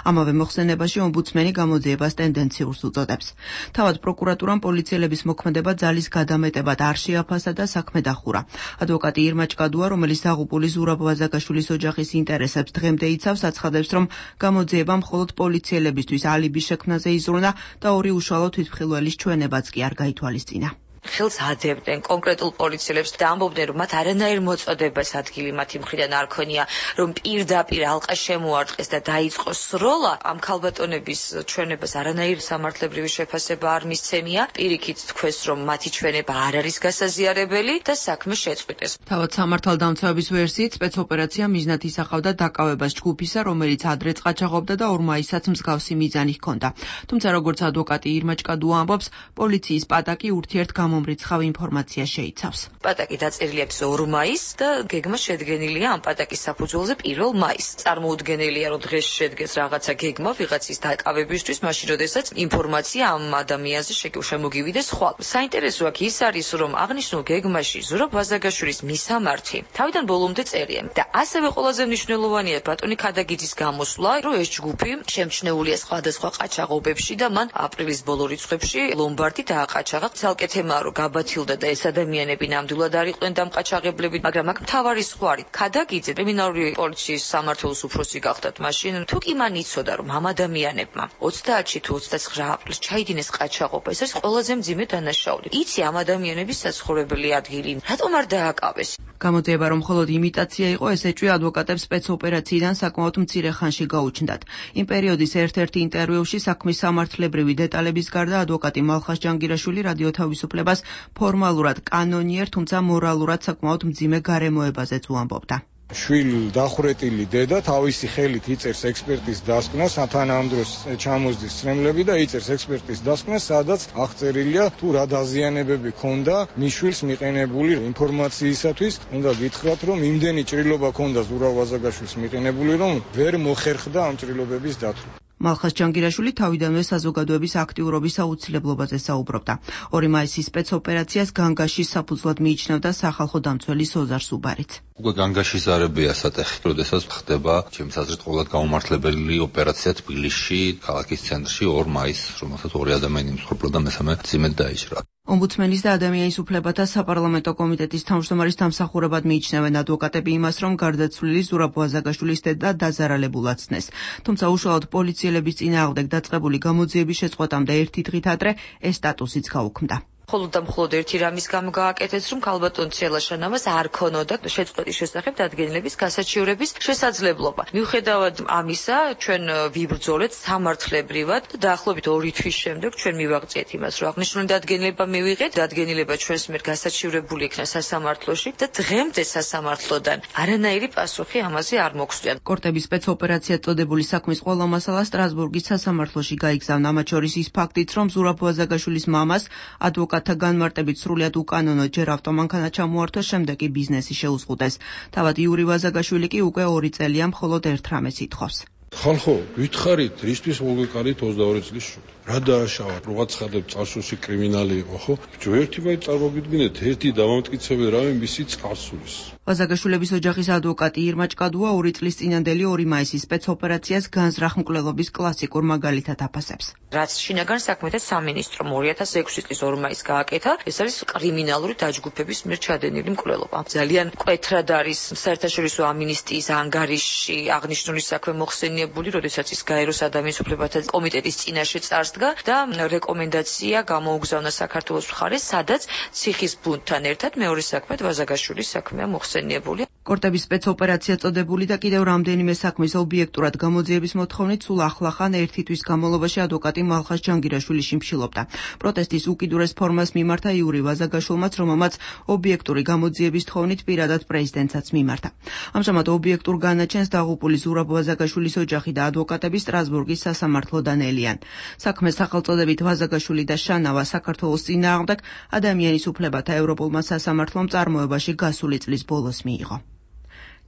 ამავე მოხსენებაში ომბუდსმენი გამოძიებას ტენდენციურს უწოდებს. თავად პროკურატურამ პოლიციელების მოქმედება ძალის გადამეტებად არ შეაფასა და საქმე დახურა. ადვოკატი ირმა ჭკადუა, რომელიც დაღუპული ზურაბ ვაზაგაშვილის ოჯახის ინტერესებს დღემდე იცავს, აცხადებს, რომ გამოძიება მხოლოდ პოლიციელებისთვის ალიბის შექმნაზე იზრუნა და ორი უშუალო თვითმხილველის ჩვენებაც კი არ გაითვალისწინა. ხელს ადებდნენ კონკრეტულ პოლიციელებს და ამბობდნენ, რომ მათ არანაირ მოწოდებას ადგილი მათი მხრიდან არ ქონია, რომ პირდაპირ ალყა შემოარტყეს და დაიწყოს სროლა. ამ ქალბატონების ჩვენებას არანაირ სამართლებრივი შეფასება არ მისცემია. პირიქით თქვეს, რომ მათი ჩვენება არ არის გასაზიარებელი და საქმე შეწყვიტეს. თავად სამართალდამცავების ვერსიით სპეცოპერაცია მიზნად ისახავდა დაკავებას ჯგუფისა, რომელიც ადრე ყაჩაღობდა და ორ მაისსაც მსგავსი მიზანი ჰქონდა. თუმცა როგორც ადვოკატი ირმა ჭკადუა ამბობს, პოლიციის პატაკი ურთიერთ მომრიცხავ ინფორმაცია შეიცავს. პატაკი დაწერილი აქვს ორ მაისს და გეგმა შედგენილია ამ პატაკის საფუძველზე პირველ მაისს. წარმოუდგენელია, რომ დღეს შედგეს რაღაცა გეგმა ვიღაცის დაკავებისთვის, მაშინ როდესაც ინფორმაცია ამ ადამიანზე შემოგივიდეს ხვალ. საინტერესო აქ ის არის, რომ აღნიშნულ გეგმაში ზურაბ ვაზაგაშვილის მისამართი თავიდან ბოლომდე წერია და ასევე ყველაზე მნიშვნელოვანია ბატონი ქადაგიძის გამოსვლა, რომ ეს ჯგუფი შემჩნეულია სხვადასხვა ყაჩაღობებში და მან აპრილის ბოლო რიცხვებში ლომბარდი დააყაჩაღა. ცალკე თემა რომ გაბათილდა და ეს ადამიანები ნამდვილად არ იყვნენ დამყაჩაღებლები, მაგრამ აქ მთავარი სხვა არის. ქადაგიძე კრიმინალური პოლიციის სამმართველოს უფროსი გახდათ მაშინ, თუ კი მან იცოდა, რომ ამ ადამიანებმა ოცდაათში თუ ოცდაცხრა აპრილს ჩაიდინეს ყაჩაღობა, ეს არის ყველაზე მძიმე დანაშაული. იცი ამ ადამიანების საცხოვრებელი ადგილი, რატომ არ დააკავეს? გამოძიება, რომ მხოლოდ იმიტაცია იყო, ეს ეჭვი ადვოკატებს სპეცოპერაციიდან საკმაოდ მცირე ხანში გაუჩნდათ. იმ პერიოდის ერთ-ერთი ინტერვიუში საქმის სამართლებრივი დეტალების გარდა ადვოკატი მალხას ჯანგირაშვილი რადიო თავისუფლებას ფორმალურად კანონიერ, თუმცა მორალურად საკმაოდ მძიმე გარემოებაზეც უამბობდა. შვილ დახურეტილი დედა თავისი ხელით იწერს ექსპერტის დასკვნას, თან ამ დროს ჩამოსდის ცრემლები და იწერს ექსპერტის დასკვნას, სადაც აღწერილია თუ რა დაზიანებები ქონდა მის შვილს მიყენებული ინფორმაციისათვის. უნდა გითხრათ, რომ იმდენი ჭრილობა ქონდა ზურაბ ვაზაგაშვილს მიყენებული, რომ ვერ მოხერხდა ამ ჭრილობების დათვლა. მალხას ჯანგირაშვილი თავიდანვე საზოგადოების აქტიურობის აუცილებლობაზე საუბრობდა. ორი მაისის სპეცოპერაციას განგაშის საფუძვლად მიიჩნევდა სახალხო დამცველი სოზარ სუბარიც. უკვე განგაშის ზარებია სატეხი, როდესაც ხდება ჩემს აზრით ყოველად გაუმართლებელი ოპერაცია თბილისში, ქალაქის ცენტრში ორ მაისს, რომელსაც ორი ადამიანი მსხვერპლა და მესამე მძიმედ დაიჭრა. ომბუდსმენის და ადამიანის უფლებათა საპარლამენტო კომიტეტის თავმჯდომარის დამსახურებად მიიჩნევენ ადვოკატები იმას, რომ გარდაცვლილი ზურაბ ვაზაგაშვილის დედა დაზარალებულად ცნეს. თუმცა უშუალოდ პოლიციელების წინააღმდეგ დაწყებული გამოძიების შეწყვეტამდე ერთი დღით ადრე ეს სტატუსიც გაუქმდა. მხოლოდ და მხოლოდ ერთი რამის გამო გააკეთეს, რომ ქალბატონ ცელაშანავას არ ქონოდა შეწყვეტის შესახებ დადგენილების გასაჩივრების შესაძლებლობა. მიუხედავად ამისა, ჩვენ ვიბრძოლეთ სამართლებრივად და დაახლოებით ორი თვის შემდეგ ჩვენ მივაღწიეთ იმას, რომ აღნიშნული დადგენილება მივიღეთ, დადგენილება ჩვენს მიერ გასაჩივრებული იქნა სასამართლოში და დღემდე სასამართლოდან არანაირი პასუხი ამაზე არ მოგვსწია. კორტების სპეცოპერაცია წოდებული საქმის ყველა მასალა სტრასბურგის სასამართლოში გაიგზავნა, მათ შორის ის ფაქტიც, რომ ზურაბ ვაზაგაშვილის მამას ადვოკატ განმარტებით სრულიად უკანონო ჯერ ავტომანქანა ჩამოართვა, შემდეგ კი ბიზნესი შეუზღუდეს. თავად იური ვაზაგაშვილი კი უკვე ორი წელია მხოლოდ ერთ რამეს ითხოვს. ხალხო, გითხარით, რისთვის მოგეკარით ოცდაორი წლის შუთ? რა დააშავათ? რო გაცხადებ წარსულში კრიმინალი იყო, ხო? ბიჭო, ერთი ბაი წარმოგიდგინეთ, ერთი დამამტკიცებელი რამე მისი წარსულის. ვაზაგაშვილების ოჯახის ადვოკატი ირმა ჭკადუა ორი წლის წინანდელი ორი მაისის სპეცოპერაციას განზრახ მკვლელობის კლასიკურ მაგალითად აფასებს. რაც შინაგან საქმეთა სამინისტრომ ორი ათას ექვსი წლის ორ მაისს გააკეთა, ეს არის კრიმინალური დაჯგუფების მიერ ჩადენილი მკვლელობა. ძალიან მკვეთრად არის საერთაშორისო ამინისტიის ანგარიშში აღნიშნული საქმე მოხსენიებული, როდესაც ის გაეროს ადამიანის უფლებათა კომიტეტის წინაშე წარსდგა და რეკომენდაცია გამოუგზავნა საქართველოს მხარეს, სადაც ციხის ბუნდთან ერთად მეორე საქმედ ვაზაგაშვილის საქმეა მოხსენიებული. კორტების სპეცოპერაცია წოდებული და კიდევ რამდენიმე საქმის ობიექტურად გამოძიების მოთხოვნით სულ ახლახან ერთი თვის განმავლობაში ადვოკატი მალხაზ ჯანგირაშვილი შიმშილობდა. პროტესტის უკიდურეს ფორმას მიმართა იური ვაზაგაშვილმაც, რომელმაც ობიექტური გამოძიების თხოვნით პირადად პრეზიდენტსაც მიმართა. ამჟამად ობიექტურ განაჩენს დაღუპული ზურაბ ვაზაგაშვილის ოჯახი და ადვოკატები სტრასბურგის სასამართლოდან ელიან. საქმეს სახელწოდებით ვაზაგაშვილი და შანავა საქართველოს წინააღმდეგ ადამიანის უფლებათა ევროპულმა სასამართლომ წარმოებაში გასული წლის ბოლოს მიიღო.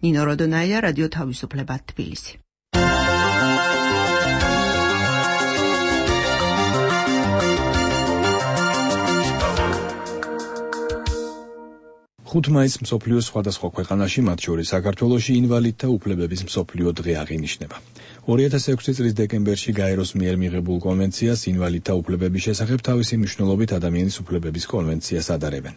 ნინო როდონაია, რადიო თავისუფლება, თბილისი. ხუთ მაისს მსოფლიოს სხვადასხვა ქვეყანაში, მათ შორის საქართველოში ინვალიდთა უფლებების მსოფლიო დღე აღინიშნება. ორი ათას ექვსი წლის დეკემბერში გაეროს მიერ მიღებულ კონვენციას ინვალიდთა უფლებების შესახებ თავისი მნიშვნელობით ადამიანის უფლებების კონვენციას ადარებენ.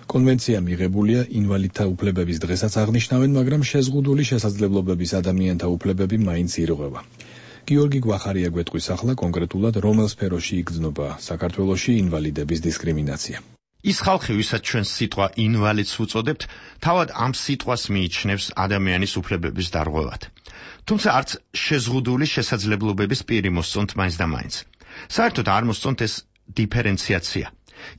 კონვენცია მიღებულია ინვალიდთა უფლებების დღესაც აღნიშნავენ, მაგრამ შეზღუდული შესაძლებლობების ადამიანთა უფლებები მაინც ირღვევა. გიორგი გვახარია გვეტყვის ახლა კონკრეტულად რომელ სფეროში იგრძნობა საქართველოში ინვალიდების დისკრიმინაცია. ის ხალხი, ვისაც ჩვენ სიტყვა ინვალიდს უწოდებთ, თავად ამ სიტყვას მიიჩნევს ადამიანის უფლებების დარღვევად. თუმცა არც შეზღუდული შესაძლებლობების პირი მოსწონთ მაინც და მაინც. საერთოდ არ მოსწონთ ეს დიფერენციაცია.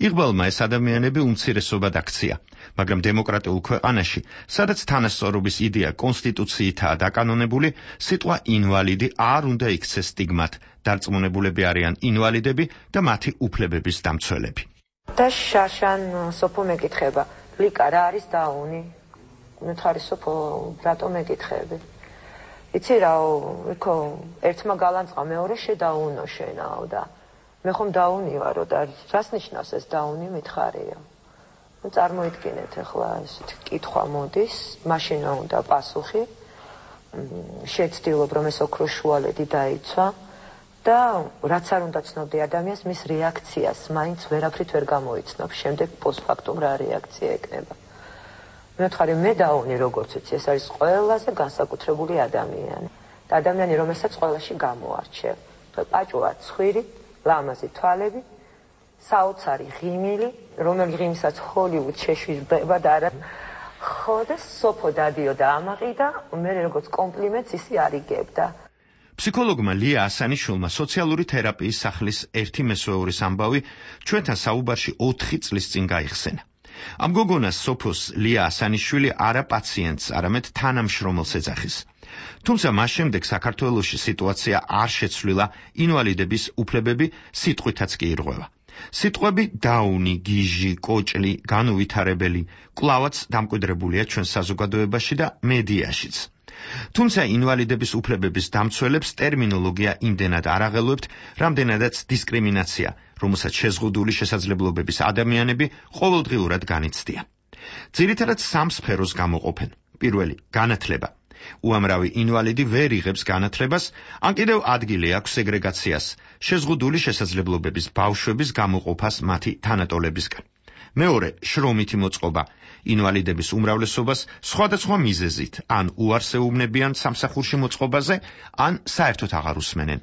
იღბალმა ეს ადამიანები უმცირესობად აქცია, მაგრამ დემოკრატიულ ქვეყანაში, სადაც თანასწორობის იდეა კონსტიტუციითაა დაკანონებული, სიტყვა ინვალიდი არ უნდა იქცეს სტიგმად. დარწმუნებულები არიან ინვალიდები და მათი უფლებების დამცველები. და შაშან სოფო მეკითხება, ლიკა რა არის დაუნი? მითხარი სოფო, რატო მეკითხები? იცი რაო, იქო ერთმა გალანწყა მეორე შედაუნო შენაო და მე ხომ დაუნი ვარო და რას ნიშნავს ეს დაუნი მითხარია. ნუ წარმოიდგინეთ ახლა ესეთი კითხვა მოდის, მაშინა უნდა პასუხი. შეცდილობ რომ ეს ოქროს შუალედი დაიცვა და რაც არ უნდა ცნობდი ადამიანს მის რეაქციას მაინც ვერაფრით ვერ გამოიცნობ. შემდეგ პოსტფაქტუმ რა რეაქცია ეკნება. მე ვთქვი მე დაუნი როგორც ვიცი, ეს არის ყველაზე განსაკუთრებული ადამიანი. და ადამიანი რომელსაც ყველაში გამოარჩევ. პაჭუა ცხვირი, ლამაზი თვალები, საოცარი ღიმილი, რომელი ღიმისაც ჰოლივუდ შეშვება და არა ხო და სოფო დადიოდა ამაყი და მე როგორც კომპლიმენტს ისი არ იგებდა. ფსიქოლოგმა ლია ასანიშვილმა სოციალური თერაპიის სახლის ერთი მესვეურის ამბავი ჩვენთან საუბარში ოთხი წლის წინ გაიხსენა. ამ გოგონას სოფოს ლია ასანიშვილი არა პაციენტს, არამედ თანამშრომელს ეძახის. თუმცა მას შემდეგ საქართველოში სიტუაცია არ შეცვლილა, ინვალიდების უფლებები სიტყვითაც კი ირღვევა. სიტყვები დაუნი, გიჟი, კოჭლი, განუვითარებელი კვლავაც დამკვიდრებულია ჩვენ საზოგადოებაში და მედიაშიც. თუმცა ინვალიდების უფლებების დამცველებს ტერმინოლოგია იმდენად არ აღელვებთ, რამდენადაც დისკრიმინაცია, რომელსაც შეზღუდული შესაძლებლობების ადამიანები ყოველდღიურად განიცდიან. ძირითადად სამ სფეროს გამოყოფენ. პირველი, განათლება. უამრავი ინვალიდი ვერ იღებს განათლებას, ან კიდევ ადგილი აქვს სეგრეგაციას, შეზღუდული შესაძლებლობების ბავშვების გამოყოფას მათი თანატოლებისგან. მეორე, შრომითი მოწყობა. ინვალიდების უმრავლესობას სხვადასხვა მიზეზით, ან უარს ეუბნებიან სამსახურში მოწყობაზე, ან საერთოდ აღარ უსმენენ.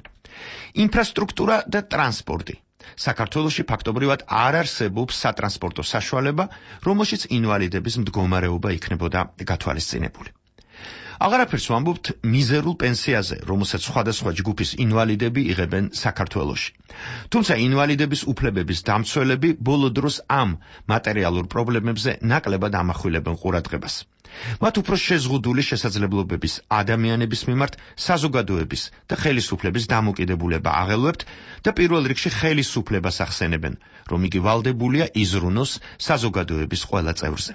ინფრასტრუქტურა და ტრანსპორტი. საქართველოში ფაქტობრივად არ არსებობს სატრანსპორტო საშუალება, რომელშიც ინვალიდების მდგომარეობა იქნებოდა გათვალისწინებული. აღარაფერს ვამბობთ მიზერულ პენსიაზე, რომელსაც სხვადასხვა ჯგუფის ინვალიდები იღებენ საქართველოში. თუმცა ინვალიდების უფლებების დამცველები ბოლო დროს ამ მატერიალურ პრობლემებზე ნაკლებად ამახვილებენ ყურადღებას. მათ უფრო შეზღუდული შესაძლებლობების ადამიანების მიმართ საზოგადოების და ხელისუფლების დამოკიდებულება აღელვებთ და პირველ რიგში ხელისუფლებას ახსენებენ, რომ იგი ვალდებულია იზრუნოს საზოგადოების ყველა წევრზე.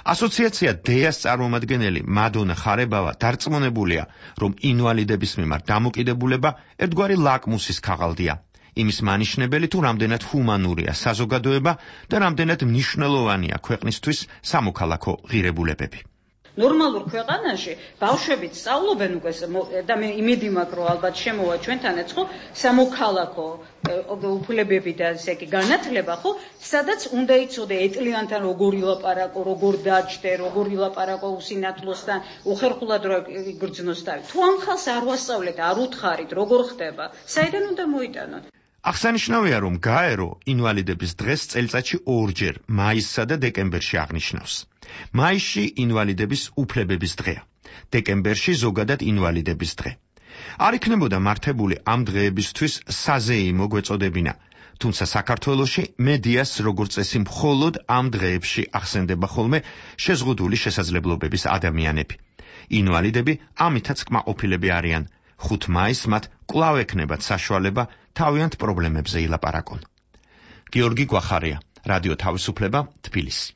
ასოციაცია დეას წარმომადგენელი მადონა ხარებავა დარწმუნებულია, რომ ინვალიდების მიმართ დამოკიდებულება ერთგვარი ლაკმუსის ქაღალდია, იმის მანიშნებელი თუ რამდენად ჰუმანურია საზოგადოება და რამდენად მნიშვნელოვანია ქვეყნისთვის სამოქალაქო ღირებულებები. ნორმალურ ქვეყანაში ბავშვებიც სწავლობენ უკვე და მე იმედი მაქვს, რომ ალბათ შემოვა ჩვენთანაც ხო სამოქალაქო უფლებები და ესე იგი განათლება ხო, სადაც უნდა იცოდე ეტლიანთან როგორ ილაპარაკო, როგორ დაჯდე, როგორ ილაპარაკო უსინათლოსთან, უხერხულად რო იგრძნოს თავი. თუ ამ ხალხს არ ვასწავლეთ, არ უთხარით, როგორ ხდება, საიდან უნდა მოიტანოთ? აღსანიშნავია, რომ გაერო ინვალიდების დღეს წელიწადში ორჯერ, მაისსა და დეკემბერში აღნიშნავს. მაისში ინვალიდების უფლებების დღეა, დეკემბერში ზოგადად ინვალიდების დღე. არ იქნებოდა მართებული ამ დღეებისთვის საზეიმო გვეწოდებინა, თუმცა საქართველოში მედიას როგორც წესი მხოლოდ ამ დღეებში ახსენდება ხოლმე შეზღუდული შესაძლებლობების ადამიანები. ინვალიდები ამითაც კმაყოფილები არიან. ხუთ მაისს მათ კვლავ ექნებათ საშუალება თავიანთ პრობლემებზე ილაპარაკონ. გიორგი გვახარია, რადიო თავისუფლება, თბილისი.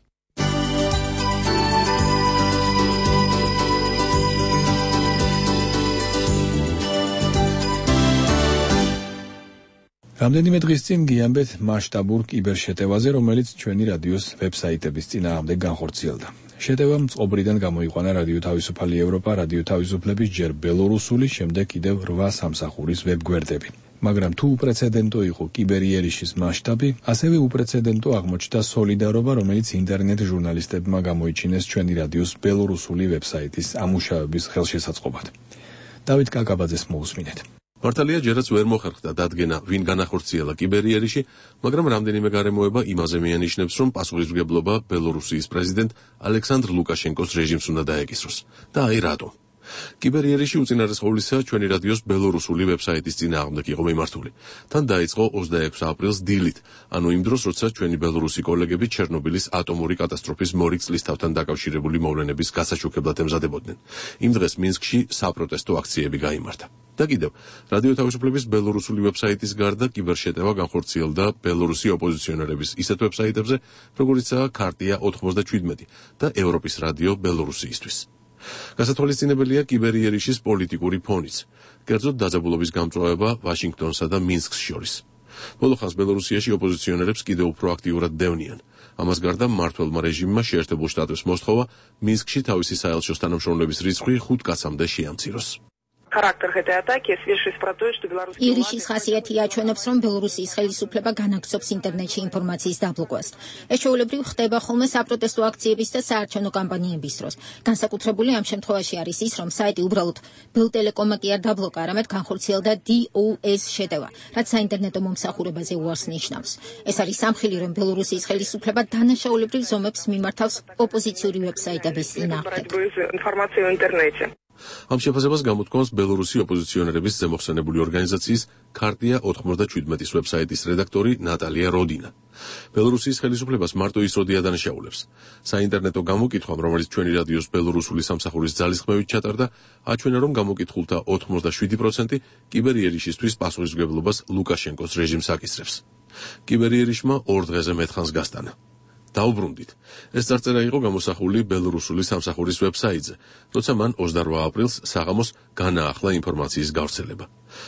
რამდენიმე დღის წინ გიამბეთ მასშტაბურ კიბერშეტევაზე, რომელიც ჩვენი რადიოს ვებსაიტების წინააღმდეგ განხორციელდა. შეტევა მწყობრიდან გამოიყვანა რადიო თავისუფალი ევროპა, რადიო თავისუფლების ჯერ ბელორუსული, შემდეგ კიდევ რვა სამსახურის ვებგვერდები. მაგრამ თუ უპრეცედენტო იყო კიბერიერიშის მასშტაბი, ასევე უპრეცედენტო აღმოჩნდა სოლიდარობა, რომელიც ინტერნეტ ჟურნალისტებმა გამოიჩინეს ჩვენი რადიოს ბელორუსული ვებსაიტის ამუშავების ხელშესაწყობად. დავით კაკაბაძეს მოусმინეთ. მართალია, ჯერაც ვერ მოხერხდა დადგენა, ვინ განახორციელა კიბერიერიში, მაგრამ რამდენიმე გარემოება იმაზე მიანიშნებს, რომ პასუხისმგებლობა ბელორუსიის პრეზიდენტ ალექსანდრ ლუკაშენკოს რეჟიმს უნდა დაეკისროს. და აი რატომ? კიბერიერიში უწინარესყოვლისა ჩვენი რადიოს ბელორუსული ვებსაიტის წინააღმდეგ იყო მიმართული. თან დაიწყო ოცდაექვსი აპრილს დილით, ანუ იმ დროს, როცა ჩვენი ბელორუსი კოლეგები ჩერნობილის ატომური კატასტროფის მორიგწლის თავთან დაკავშირებული მოვლენების გასაშუქებლად ემზადებოდნენ. იმ დღეს მინსკში საპროტესტო აქციები გაიმართა. და კიდევ, რადიო თავისუფლების ბელორუსული ვებსაიტის გარდა კიბერშეტევა განხორციელდა ბელორუსი ოპოზიციონერების ისეთ ვებსაიტებზე, როგორიცაა ქარტია ოთხმოცდაჩვიდმეტი და ევროპის რადიო ბელორუსიისთვის. გასათვალისწინებელია კიბერიერიშის პოლიტიკური ფონიც, კერძოდ დაძაბულობის გამწვავება ვაშინგტონსა და მინსკს შორის. ბოლო ხანს ბელორუსიაში ოპოზიციონერებს კიდევ უფრო აქტიურად დევნიან. ამას გარდა მმართველმა რეჟიმმა შეერთებულ შტატებს მოსთხოვა მინსკში თავისი საელჩოს თანამშრომლების რიცხვი ხუთ კაცამდე შეამციროს. Характер этой атаки свидетельствует про то, что белорусские ირიშის ხასიათი აჩვენებს, რომ ბელორუსიის ხელისუფლება განაგრძობს ინტერნეტში ინფორმაციის დაბლოკვას. ეს ჩვეულებრივ ხდება ხოლმე საპროტესტო აქციების და საარჩევნო კამპანიების დროს. განსაკუთრებული ამ შემთხვევაში არის ის, რომ საიტი უბრალოდ ბელტელეკომმა კი არ დაბლოკა, არამედ განხორციელდა დი ო ეს შეტევა, რაც საინტერნეტო მომსახურებაზე უარს ნიშნავს. ეს არის სამხილი, რომ ბელორუსიის ხელისუფლება დანაშაულებრივ ზომებს მიმართავს ოპოზიციური ვებსაიტების წინააღმდეგ. информацию в интернете. ამ შეფასებას გამოთქვამს ბელორუსი ოპოზიციონერების ზემოხსენებული ორგანიზაციის ქარტია ოთხმოცდაჩვიდმეტის ვებსაიტის რედაქტორი ნატალია როდინა. ბელორუსიის ხელისუფლებას მარტო ის როდი ადანაშაულებს. საინტერნეტო გამოკითხვამ, რომელიც ჩვენი რადიოს ბელორუსული სამსახურის ძალისხმევით ჩატარდა, აჩვენა, რომ გამოკითხულთა ოთხმოცდაშვიდი პროცენტი კიბერიერიშისთვის პასუხისმგებლობას ლუკაშენკოს რეჟიმს აკისრებს. კიბერიერიშმა ორ დღეზე მეტხანს გასტანა. დაუბრუნდით. ეს წარწერა იყო გამოსახული ბელორუსული სამსახურის ვებსაიტზე, როცა მან ოცდარვა აპრილს საღამოს განაახლა ინფორმაციის გავრცელება.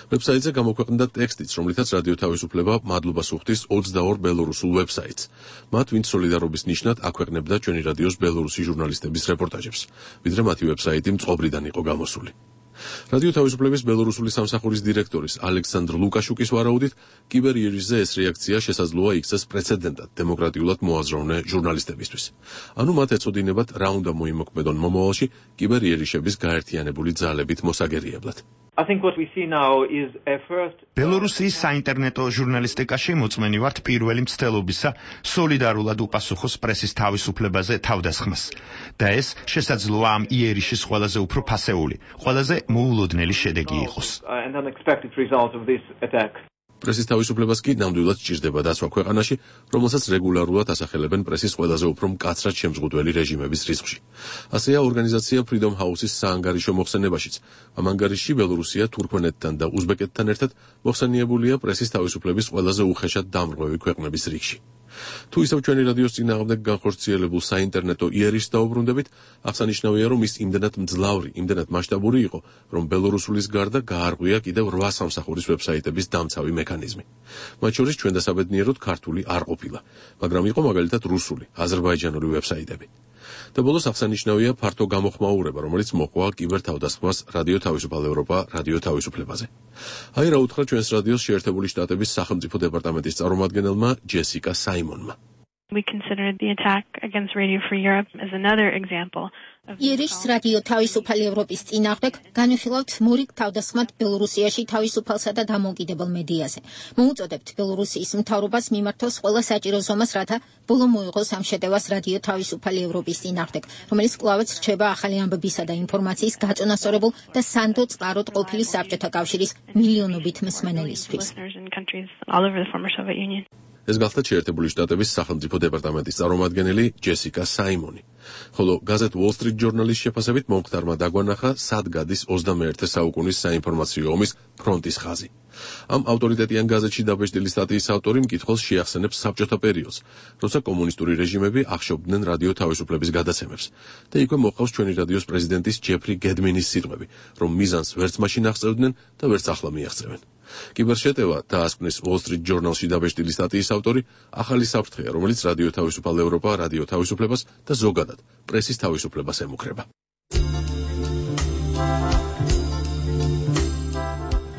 ვებსაიტზე გამოქვეყნდა ტექსტიც, რომლითაც რადიო თავისუფლება მადლობას უხდის ოცდაორ ბელორუსულ ვებსაიტს. მათ, ვინც სოლიდარობის ნიშნად აქვეყნებდა ჩვენი რადიოს ბელორუსი ჟურნალისტების რეპორტაჟებს, ვიდრე მათი ვებსაიტი მწყობრიდან იყო გამოსული. რადიო თავისუფლების ბელორუსული სამსახურის დირექტორის ალექსანდრ ლუკაშუკის ვარაუდით, კიბერიერიშზე ეს რეაქცია შესაძლოა იქცეს პრეცედენტად დემოკრატიულად მოაზროვნე ჟურნალისტებისთვის. ანუ მათ ეწოდინებათ რა უნდა მოიმოქმედონ მომავალში კიბერიერიშების გაერთიანებული ძალებით მოსაგერიებლად. I think what we see now is a first ბელორუსიის საინტერნეტო ჟურნალისტიკაში მოწმენი ვართ პირველი მცდელობისა სოლიდარულად უპასუხოს პრესის თავისუფლებაზე თავდასხმას. და ეს შესაძლოა ამ იერიშის ყველაზე უფრო ფასეული, ყველაზე მოულოდნელი შედეგი იყოს. and unexpected result of this attack. პრესის თავისუფლებას კი ნამდვილად სჭირდება დაცვა ქვეყანაში, რომელსაც რეგულარულად ასახელებენ პრესის ყველაზე უფრო მკაცრად შემზღუდველი რეჟიმების რიცხვში. ასეა ორგანიზაცია Freedom House-ის საანგარიშო მოხსენებაშიც. ამ ანგარიშში ბელორუსია თურქმენეთთან და უზბეკეთთან ერთად მოხსენიებულია პრესის თავისუფლების ყველაზე უხეშად დამრღვევი ქვეყნების რიგში. თუ ისევ ჩვენი რადიოს წინააღმდეგ განხორციელებულ საინტერნეტო იერიშს დაუბრუნდებით, აღსანიშნავია, რომ ის იმდენად მძლავრი, იმდენად მასშტაბური იყო, რომ ბელორუსulis გარდა გაარღვია კიდევ რვა სამსახურის ვებსაიტების დამცავი მექანიზმი. მათ შორის ჩვენ დასაბედნიეროდ ქართული არ ყოფილა, მაგრამ იყო მაგალითად რუსული, აზერბაიჯანული ვებსაიტები. და ბოლოს აღსანიშნავია ფართო გამოხმაურება, რომელიც მოყვა კიბერთავდასხმას რადიო თავისუფალ ევროპა, რადიო თავისუფლებაზე. აი რა უთხრა ჩვენს რადიოს შეერთებული შტატების სახელმწიფო დეპარტამენტის წარმომადგენელმა ჯესიკა საიმონმა. We consider the attack against Radio Free Europe as another example. იერიშს რადიო თავისუფალი ევროპის წინააღმდეგ განვიხილავთ მორიგ თავდასხმად ბელორუსიაში თავისუფალსა და დამოუკიდებელ მედიაზე. მოუწოდებთ ბელორუსიის მთავრობას მიმართოს ყველა საჭირო ზომას, რათა ბოლო მოიღოს ამ შეტევას რადიო თავისუფალი ევროპის წინააღმდეგ, რომელიც კვლავაც რჩება ახალი ამბებისა და ინფორმაციის გაწონასწორებულ და სანდო წყაროდ ყოფილი საბჭოთა კავშირის მილიონობით მსმენელისთვის. ეს გახდა შეერთებული შტატების სახელმწიფო დეპარტამენტის წარმომადგენელი ჯესიკა საიმონი. ხოლო გაზეთ Wall Street Journal-ის შეფასებით მომხდარმა დაგვანახა, სად გადის ოცდამეერთე საუკუნის საინფორმაციო ომის ფრონტის ხაზი. ამ ავტორიტეტიან გაზეთში დაბეჭდილი სტატიის ავტორი მკითხველს შეახსენებს საბჭოთა პერიოდს, როცა კომუნისტური რეჟიმები ახშობდნენ რადიო თავისუფლების გადაცემებს და იქვე მოყავს ჩვენი რადიოს პრეზიდენტის ჯეფრი გედმინის სიტყვები, რომ მიზანს ვერც მაშინ აღწევდნენ და ვერც ახლა მიაღწევენ. კიბერშეტევა დაასკვნის Wall Street Journal-ში დაბეჭდილი სტატიის ავტორი ახალი საფრთხეა, რომელიც რადიო თავისუფალ ევროპა, რადიო თავისუფლებას და ზოგადად პრესის თავისუფლებას ემუქრება.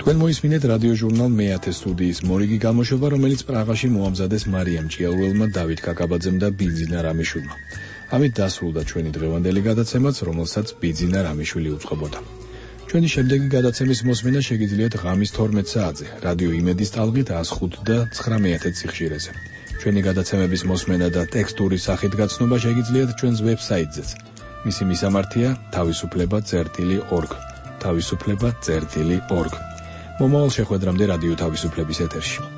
თქვენ მოისმინეთ რადიო ჟურნალ მეათე სტუდიის მორიგი გამოშვება, რომელიც პრაღაში მოამზადეს მარიამ ჭიაურელმა, დავით კაკაბაძემ და ბიძინა რამიშვილმა. ამით დასრულდა ჩვენი დღევანდელი გადაცემაც, რომელსაც ბიძინა რამიშვილი უწყობოდა. ჩვენი შემდეგი გადაცემის მოსმენა შეგიძლიათ ღამის თორმეტ საათზე, რადიო იმედის ტალღით one oh five და nine მეთრ სიხშირეზე. ჩვენი გადაცემების მოსმენა და ტექსტური სახით გაცნობა შეგიძლიათ ჩვენს ვებსაიტზეც. მისი მისამართია თავისუფლება წერტილი org. თავისუფლება წერტილი org. მომავალ შეხვედრამდე რადიო თავისუფლების ეთერში.